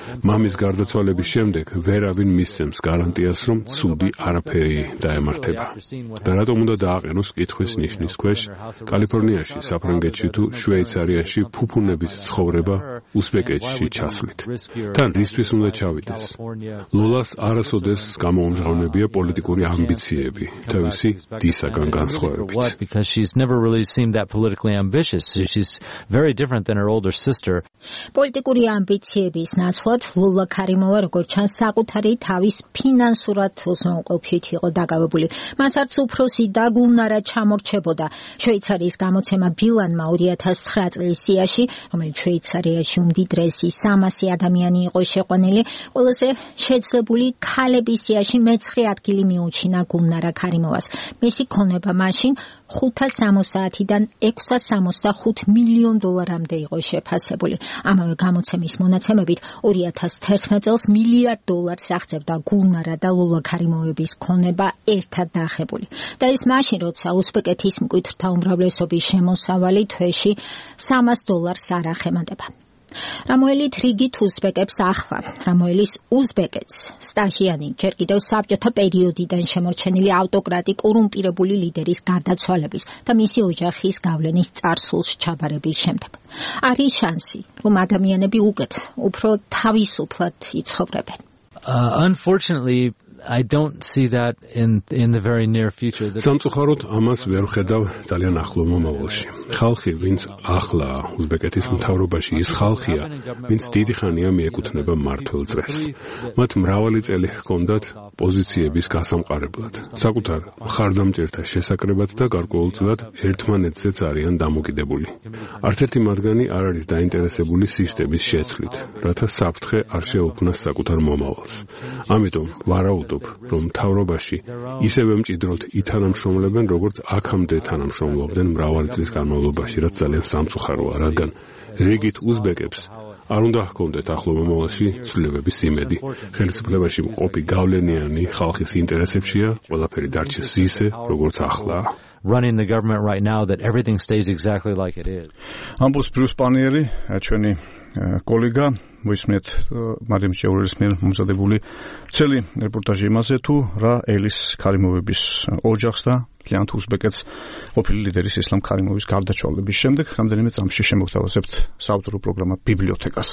მამის გარდაცვალების შემდეგ ვერავინ მისცემს გარანტიას, რომ ცუდი არაფერი დაემართება. და რატომ უნდა დააყენოს კითხვის ნიშნის ქვეშ კალიფორნიაში, საფრანგეთში თუ შვეიცარიაში ფუფუნების ცხოვრება უზბეკეთში ჩასვლით? თან რისთვის უნდა ჩავიდეს? ლოლას არასოდეს გამოუმჟღავნებია პოლიტიკური ამბიციები, თავისი დისაგან განსხვავებით. Because she's never really seemed that politically ambitious. She's very different than her older sister. პოლიტიკური ამბიციების ნაცვლად მიუხედავად ლოლა ქარიმოვა როგორც ჩანს საკუთარი თავის ფინანსურად უზრუნველყოფით იყო დაკავებული. მას არც უფროსი და გულნარა ჩამორჩებოდა. შვეიცარიის გამოცემა ბილანმა ორი ათას ცხრა წლის სიაში, რომელიც შვეიცარიაში უმდიდრესი სამასი ადამიანი იყო შეყვანილი, ყველაზე შეძლებული ქალების სიაში მეცხრე ადგილი მიუჩინა გულნარა ქარიმოვას. მისი ქონება მაშინ ხუთას სამოცდაათიდან ექვსას სამოცდახუთ მილიონ დოლარამდე იყო შეფასებული. ამავე გამოცემის მონაცემებით ორი ათას თერთმეტ წელს მილიარდ დოლარს აღწევდა გულნარა და ლოლა ქარიმოვების ქონება ერთად დაახებული. და ეს მაშინ, როცა უზბეკეთის მკვიდრთა უმრავლესობის შემოსავალი თვეში სამას დოლარს არ ახემატება. რამოელით რიგით უზბეკებს ახლა, რამოელის უზბეკეთს სტაჟიანი ჯერ კიდევ საბჭოთა პერიოდიდან შემორჩენილი ავტოკრატი კორუმპირებული ლიდერის გარდაცვალების და მისი ოჯახის გავლენის წარსულს ჩაბარების შემდეგ. არის შანსი, რომ ადამიანები უკეთ უფრო თავისუფლად იცხოვრებენ. Uh, unfortunately, I don't see that in in the very near future. სამწუხაროდ ამას ვერ ხედავ ძალიან ახლო მომავალში. ხალხი, ვინც ახლა უზბეკეთის მთავრობაში ის ხალხია, ვინც დიდი ხანია მიეკუთვნება მმართველ წრეს. მათ მრავალი წელი ჰქონდათ პოზიციების გასამყარებლად, საკუთარ მხარდამჭერთა შესაკრებად და გარკვეულწილად ერთმანეთზეც არიან დამოკიდებული. არც ერთი მათგანი არ არის დაინტერესებული სისტემის შეცვლით, რათა საფრთხე არ შეუქმნას საკუთარ მომავალს. ამიტომ ვარაუდობ, რომ მთავრობაში ისევე მჭიდროდ ითანამშრომლებენ, როგორც აქამდე თანამშრომლობდნენ მრავალი წლის განმავლობაში, რაც ძალიან სამწუხაროა, რადგან რიგით უზბეკებს არ უნდა ჰქონდეთ ახლო მომავალში ცვლილებების იმედი. ხელისუფლებაში მყოფი გავლენიანი ხალხის ინტერესებშია ყველაფერი დარჩეს ისე, როგორც ახლა. Running the government right now that everything stays exactly like it is. ამბობს ბრიუს პანიერი, ჩვენი კოლეგა, მოისმენთ მარიამ ჭეურულის მიერ მომზადებული ცელი რეპორტაჟი იმაზე, თუ რა ელის ქარიმოვების ოჯახს და მთლიანად უზბეკეთს ყოფილი ლიდერის ისლამ ქარიმოვის გარდაცვალების შემდეგ რამდენიმე წამში შემოგთავაზებთ საავტორო პროგრამა ბიბლიოთეკას.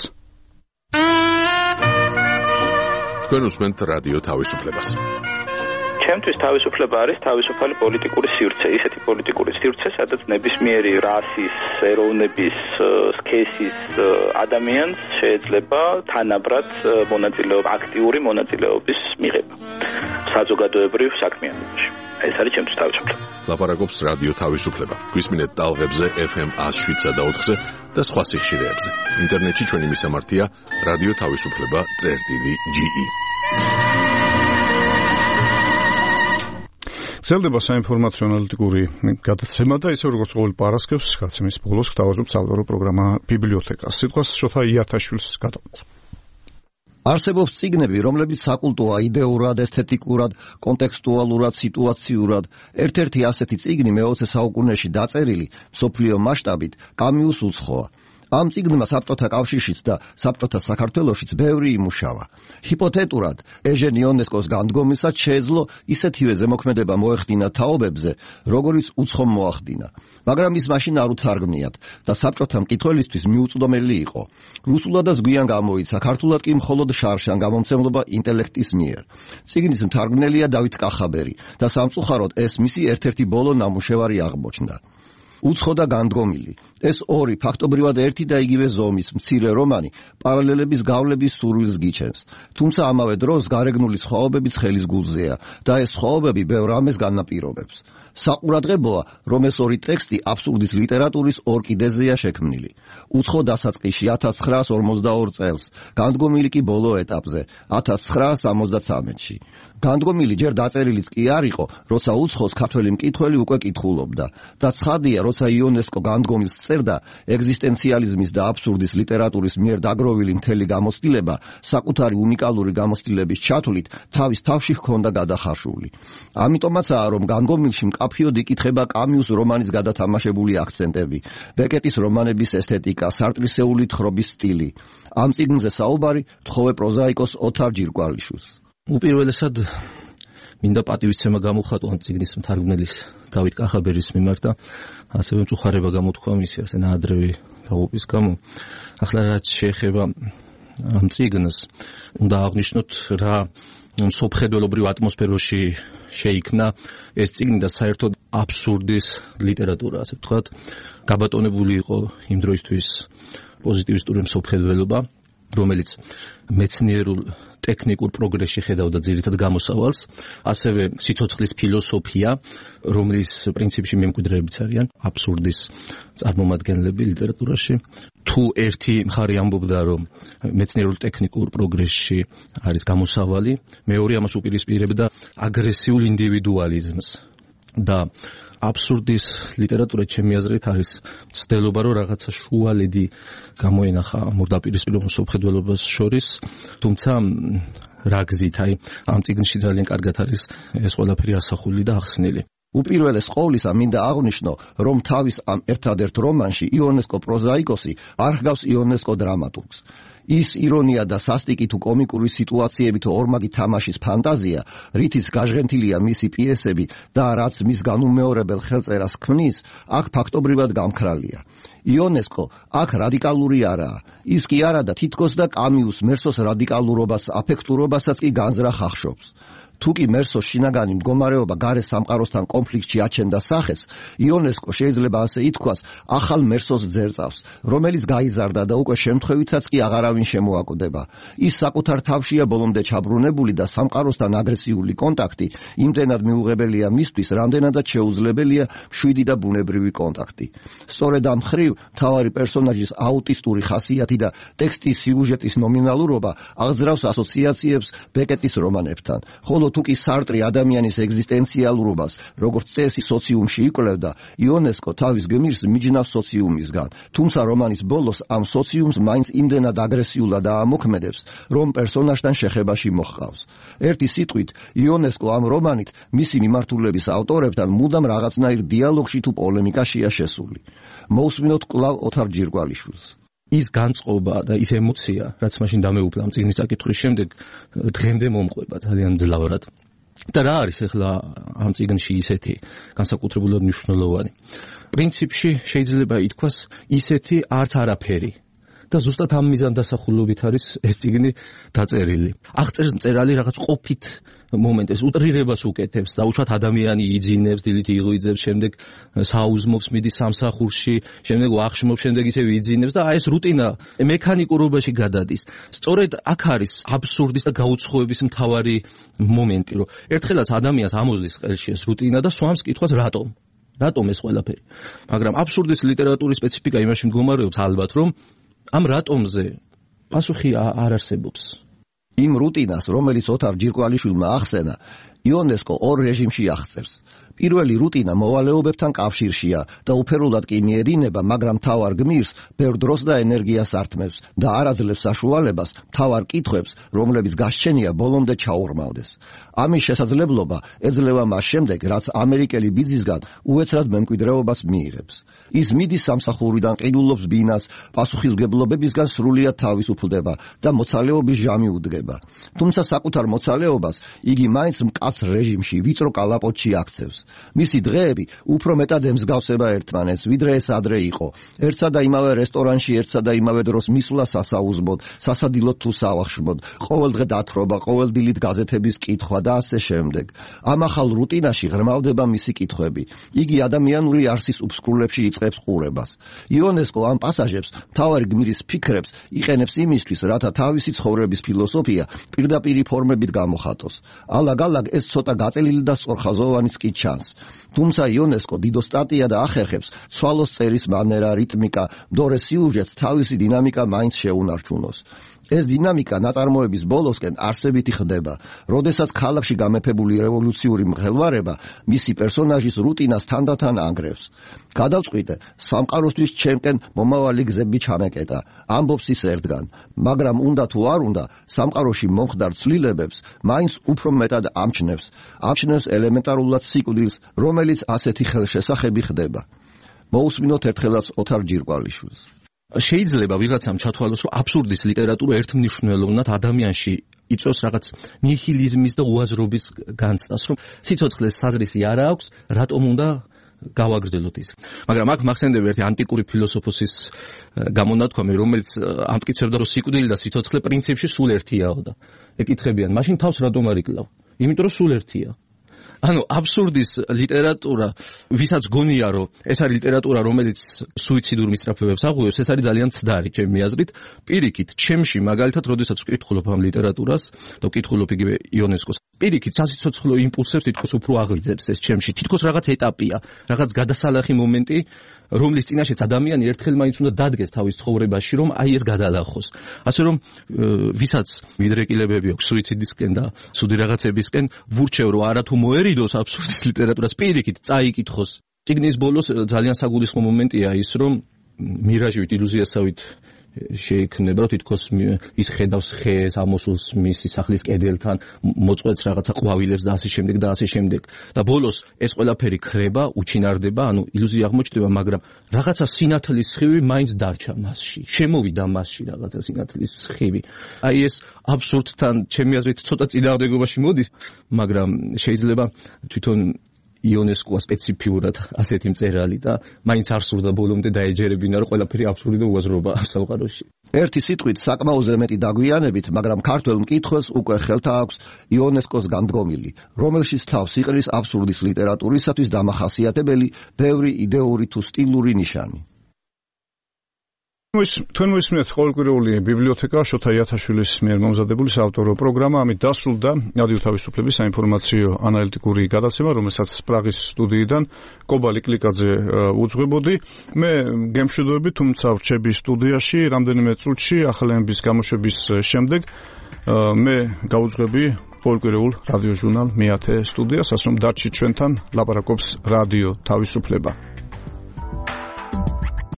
თქვენ უსმენთ რადიო თავისუფლებას. ჩემთვის თავისუფლება არის თავისუფალი პოლიტიკური სივრცე, ისეთი პოლიტიკური სივრცე, სადაც ნებისმიერი რასის, ეროვნების, სქესის ადამიანს შეიძლება თანაბრად მონაწილეობა, აქტიური მონაწილეობის მიღება საზოგადოებრივ საქმიანობაში. ეს არის ჩემთვის თავისუფლება. ლაპარაკობს რადიო თავისუფლება. გვისმინეთ ტალღებზე ეფ ემ one oh seven point four-ზე და სხვა სიხშირეებზე. ინტერნეტში ჩვენი მისამართია რადიო თავისუფლება წერტილი ჯი ი. გრძელდება საინფორმაციო ანალიტიკური გადაცემა და ისე როგორც ყოველ პარასკევს გადაცემის ბოლოს გთავაზობთ საავტორო პროგრამა ბიბლიოთეკას. სიტყვას შოთა იათაშვილს გადავთ. არსებობს წიგნები, რომლებიც საკულტოა იდეურად, ესთეტიკურად, კონტექსტუალურად, სიტუაციურად. ერთ-ერთი ასეთი წიგნი მეოცე საუკუნეში დაწერილი მსოფლიო მასშტაბით კამიუს უცხოა. ამ წიგნმა საბჭოთა კავშირშიც და საბჭოთა საქართველოშიც ბევრი იმუშავა. ჰიპოთეტურად, ეჟენ იონესკოს განდგომისას შეეძლო ისეთივე ზემოქმედება მოეხდინა თაობებზე, როგორიც უცხომ მოახდინა. მაგრამ ის მაშინ არ უთარგმნიათ და საბჭოთა მკითხველისთვის მიუწვდომელი იყო. რუსულადაც გვიან გამოიცა, ქართულად კი მხოლოდ შარშან გამომცემლობა ინტელექტის მიერ. წიგნის მთარგმნელია დავით კახაბერი და სამწუხაროდ ეს მისი ერთ-ერთი ბოლო ნამუშევარი აღმოჩნდა. უცხო და განდგომილი. ეს ორი ფაქტობრივად ერთი და იგივე ზომის მცირე რომანი პარალელების გავლების სურვილს გიჩენს. თუმცა ამავე დროს გარეგნული სხვაობებიც ხელის გულზეა და ეს სხვაობები ბევრ რამეს განაპირობებს. საყურადღებოა, რომ ეს ორი ტექსტი აბსურდის ლიტერატურის ორ კიდეზეა შექმნილი. უცხო დასაწყისში ათას ცხრაას ორმოცდაორ წელს, განდგომილი კი ბოლო ეტაპზე ათას ცხრაას სამოცდაცამეტში. განდგომილი ჯერ დაწერილიც კი არ იყო, როცა უცხოს ქართველი მკითხველი უკვე კითხულობდა და ცხადია, როცა იონესკო განდგომილს წერდა, ეგზისტენციალიზმის და აბსურდის ლიტერატურის მიერ დაგროვილი მთელი გამოცდილება საკუთარი უნიკალური გამოცდილების ჩათვლით თავის თავში ჰქონდა გადახარშული. ამიტომაცაა, რომ განდგომილში მკაფიოდ იკითხება კამიუს რომანის გადათამაშებული აქცენტები, ბეკეტის რომანების ესთეტიკა, სარტრისეული თხრობის სტილი. ამ წიგნზე საუბარი თხოვე პროზაიკოს ოთარ ჯირკვალიშვილს. უპირველესად მინდა პატივისცემა გამოხატო ამ წიგნის მთარგმნელის დავით კახაბერის მიმართ და ასევე მწუხარება გამოთქვა მისი ასე ნაადრევი დაღუპვის გამო. ახლა რაც შეეხება ამ წიგნს, უნდა აღვნიშნოთ რა მსოფლმხედველობრივ ატმოსფეროში შეიქმნა ეს წიგნი და საერთოდ აბსურდის ლიტერატურა, ასე ვთქვათ, გაბატონებული იყო იმ დროისთვის პოზიტივისტური მსოფლმხედველობა. რომელიც მეცნიერულ ტექნიკურ პროგრესში ხედავდა ძირითად გამოსავალს, ასევე სიცოცხლის ფილოსოფია, რომლის პრინციპში მემკვიდრეებიც არიან აბსურდის წარმომადგენლები ლიტერატურაში. თუ ერთი მხარე ამბობდა, რომ მეცნიერულ ტექნიკურ პროგრესში არის გამოსავალი, მეორე ამას უპირისპირებდა აგრესიულ ინდივიდუალიზმს და აბსურდის ლიტერატურა ჩემი აზრით არის ცდელობა, რომ რაღაცა შუალედი გამოენახა მორდაპირისპირებულ მსოფლმხედველობას შორის, თუმცა რა გზით, აი ამ წიგნში ძალიან კარგად არის ეს ყველაფერი ასახული და ახსნილი. უპირველეს ყოვლისა მინდა აღვნიშნო, რომ თავის ამ ერთადერთ რომანში იონესკო პროზაიკოსი არ ჰგავს იონესკო დრამატურგს. ის ირონია და სასტიკი თუ კომიკური სიტუაციები თუ ორმაგი თამაშის ფანტაზია, რითიც გაჟღენთილია მისი პიესები და რაც მის განუმეორებელ ხელწერას ქმნის, აქ ფაქტობრივად გამქრალია. იონესკო აქ რადიკალური არაა. ის კი არა და თითქოს და კამიუს მერსოს რადიკალურობას, აფექტურობასაც კი განზრახ ახშობს. თუ კი მერსოს შინაგანი მდგომარეობა გარე სამყაროსთან კონფლიქტში აჩენდა სახეს, იონესკო შეიძლება ასე ითქვას, ახალ მერსოს ძერწავს, რომელიც გაიზარდა და უკვე შემთხვევითაც კი აღარავინ შემოაკვდება. ის საკუთარ თავშია ბოლომდე ჩაბრუნებული და სამყაროსთან აგრესიული კონტაქტი იმდენად მიუღებელია მისთვის, რამდენადაც შეუძლებელია მშვიდი და ბუნებრივი კონტაქტი. სწორედ ამ მხრივ მთავარი პერსონაჟის აუტისტური ხასიათი და ტექსტის სიუჟეტის ნომინალურობა აღძრავს ასოციაციებს ბეკეტის რომანებთან, ხოლო თუ კი სარტრი ადამიანის ეგზისტენციალურობას, როგორც წესი სოციუმში იკვლევდა, იონესკო თავის გმირს მიჯნავს სოციუმისგან, თუმცა რომანის ბოლოს ამ სოციუმს მაინც იმდენად აგრესიულად აამოქმედებს, რომ პერსონაჟთან შეხებაში მოჰყავს. ერთი სიტყვით, იონესკო ამ რომანით მისი მიმართულების ავტორებთან მუდამ რაღაცნაირ დიალოგში თუ პოლემიკაშია შესული. მოусმინოთ კვლავ ოთარ ჯირკვალიშვილს. ის განწყობა და ის ემოცია, რაც მაშინ დამეუფლა ამ წიგნის წაკითხვის შემდეგ, დღემდე მომყვება ძალიან ძლავრად. და რა არის ახლა ამ წიგნში ისეთი განსაკუთრებულად მნიშვნელოვანი? პრინციპში შეიძლება ითქვას ისეთი არც არაფერი. და ზუსტად ამ მიზანდასახულობით არის ეს წიგნი დაწერილი. აღწერს მწერალი რაღაც ყოფით მომენტებს, უტრირებას უკეთებს, დაუშვათ ადამიანი იძინებს, დილით იღვიძებს, შემდეგ საუზმობს, მიდის სამსახურში, შემდეგ ვახშმობს, შემდეგ ისევ იძინებს და აი ეს რუტინა მექანიკურობაში გადადის. სწორედ აქ არის აბსურდის და გაუცხოების მთავარი მომენტი, რომ ერთხელაც ადამიანს ამოზლის ყელში ეს რუტინა და სვამს კითხვას რატომ? რატომ ეს ყველაფერი? მაგრამ აბსურდის ლიტერატურის სპეციფიკა იმაში მდგომარეობს ალბათ, რომ ამ რატომზე პასუხი არ არსებობს. იმ რუტინას, რომელიც ოთარ ჯირკვალიშვილმა ახსენა, იონესკო ორ რეჟიმში აღწერს. პირველი რუტინა მოვალეობებთან კავშირშია და უფერულად კი მიედინება, მაგრამ მთავარ გმირს ბევრ დროს და ენერგიას ართმევს და არ აძლევს საშუალებას მთავარ კითხვებს, რომლებიც გასჩენია ბოლომდე ჩაურმავდეს. ამის შესაძლებლობა ეძლევა მას შემდეგ, რაც ამერიკელი ბიძისგან უეცრად მემკვიდრეობას მიიღებს. ის მიდის სამსახურიდან, ყიდულობს ბინას, პასუხისმგებლობებისგან სრულიად თავისუფლდება და მოცალეობის ჟამი უდგება. თუმცა საკუთარ მოცალეობას იგი მაინც მკაცრ რეჟიმში, ვიწრო კალაპოტში აქცევს. მისი დღეები უფრო მეტად ემსგავსება ერთმანეთს, ვიდრე ეს ადრე იყო. ერთსა და იმავე რესტორანში, ერთსა და იმავე დროს მისვლა სასაუზმოდ, სასადილოდ თუ სავახშმოდ, ყოველდღე დათრობა, ყოველდილით გაზეთების კითხვა და ასე შემდეგ. ამ ახალ რუტინაში ღრმავდება მისი კითხვები. იგი ადამიანური არსის უფსკრულებში იწყებს ყურებას. იონესკო ამ პასაჟებს მთავარი გმირის ფიქრებს იყენებს იმისთვის, რათა თავისი ცხოვრების ფილოსოფია პირდაპირი ფორმებით გამოხატოს. ალაგ-ალაგ ეს ცოტა გაწელილი და სწორხაზოვანიც კი ჩანს. თუმცა იონესკო დიდო სტატია და ახერხებს ცვალოს წერის მანერა, რიტმიკა, მდორე სიუჟეტს თავისი დინამიკა მაინც შეუნარჩუნოს. ეს დინამიკა ნაწარმოების ბოლოსკენ არსებითი ხდება, როდესაც ქალაქში გამეფებული რევოლუციური მღელვარება მისი პერსონაჟის რუტინას თანდათან ანგრევს. გადავწყვიტე, სამყაროსთვის ჩემკენ მომავალი გზები ჩამეკეტა, ამბობს ის ერთგან, მაგრამ უნდა თუ არ უნდა, სამყაროში მომხდარ ცვლილებებს მაინც უფრო მეტად ამჩნევს, ამჩნევს ელემენტარულად სიკვდილს, რომელიც ასეთი ხელშესახები ხდება. მოусმინოთ ერთხელაც ოთარ ჯირკვალიშვილს. შეიძლება ვიღაცამ ჩათვალოს, რომ აბსურდის ლიტერატურა ერთმნიშვნელოვნად ადამიანში იწვევს რაღაც ნიჰილიზმის და უაზრობის განცდას, რომ სიცოცხლეს საზრისი არ აქვს, რატომ უნდა გავაგრძელოთ ის. მაგრამ აქ მახსენდება ერთი ანტიკური ფილოსოფოსის გამონათქვამი, რომელიც ამტკიცებდა, რომ სიკვდილი და სიცოცხლე პრინციპში სულ ერთიაო და ეკითხებიან, მაშინ თავს რატომ არ იკლავ? იმიტომ რომ სულ ერთია. ანუ აბსურდის ლიტერატურა, ვისაც გონია რომ ეს არის ლიტერატურა, რომელიც სუიციდურ მისწრაფებებს აღუევს, ეს არის ძალიან ცდარი ჩემი აზრით. პირიქით, ჩემში მაგალითად, როდესაც ვკითხულობ ამ ლიტერატურას და ვკითხულობ იგივე იონესკოს, პირიქით სასიცოცხლო იმპულსებს თითქოს უფრო აღიძებს ეს ჩემში. თითქოს რაღაც ეტაპია, რაღაც გადასალახი მომენტი, რომლის წინაშეც ადამიანი ერთხელ მაინც უნდა დადგეს თავის ცხოვრებაში, რომ აი ეს გადალახოს. ასე რომ ვისაც მიდრეკილებები აქვს სუიციდისკენ და სუდი რაღაცებისკენ, ვურჩევ რომ არათუ მოერიდოს აბსურდის ლიტერატურას, პირიქით წაიკითხოს. წიგნის ბოლოს ძალიან საგულისხმო მომენტია ის, რომ მირაჟივით, ილუზიასავით შეიქმნება, რომ თითქოს ის ხედავს ხეს, ამოსულს მისი სახლის კედელთან, მოწყვეტს რაღაცა ყვავილებს და ასე შემდეგ და ასე შემდეგ. და ბოლოს ეს ყველაფერი ხრება, უჩინარდება, ანუ ილუზია აღმოჩნდება, მაგრამ რაღაცა სინათლის სხივი მაინც დარჩა მასში. შემოვიდა მასში რაღაცა სინათლის სხივი. აი ეს აბსურდთან ჩემი აზრით ცოტა წინააღმდეგობაში მოდის, მაგრამ შეიძლება თვითონ იონესკოა სპეციფიურად ასეთი მწერალი და მაინც არ სურდა ბოლომდე დაეჯერებინა, რომ ყველაფერი აბსურდი და უაზრობა სამყაროში. ერთი სიტყვით საკმაოზე მეტი დაგვიანებით, მაგრამ ქართველ მკითხველს უკვე ხელთა აქვს იონესკოს განდგომილი, რომელშიც თავს იყრის აბსურდის ლიტერატურისათვის დამახასიათებელი ბევრი იდეური თუ სტილური ნიშანი. თქვენ მოისმინეთ ყოველკვირეული ბიბლიოთეკა შოთა იათაშვილის მიერ მომზადებული საავტორო პროგრამა, ამით დასრულდა რადიო თავისუფლების საინფორმაციო ანალიტიკური გადაცემა, რომელსაც პრაღის სტუდიიდან კობა ლიკლიკაძე უძღვებოდი. მე გემშვიდობები, თუმცა ვრჩები სტუდიაში რამდენიმე წუთში ახალების გამოშვების შემდეგ. მე გაუძღვები ყოველკვირეულ რადიო ჟურნალ მეათე სტუდიას, ასე რომ დარჩით ჩვენთან, ლაპარაკობს რადიო თავისუფლება.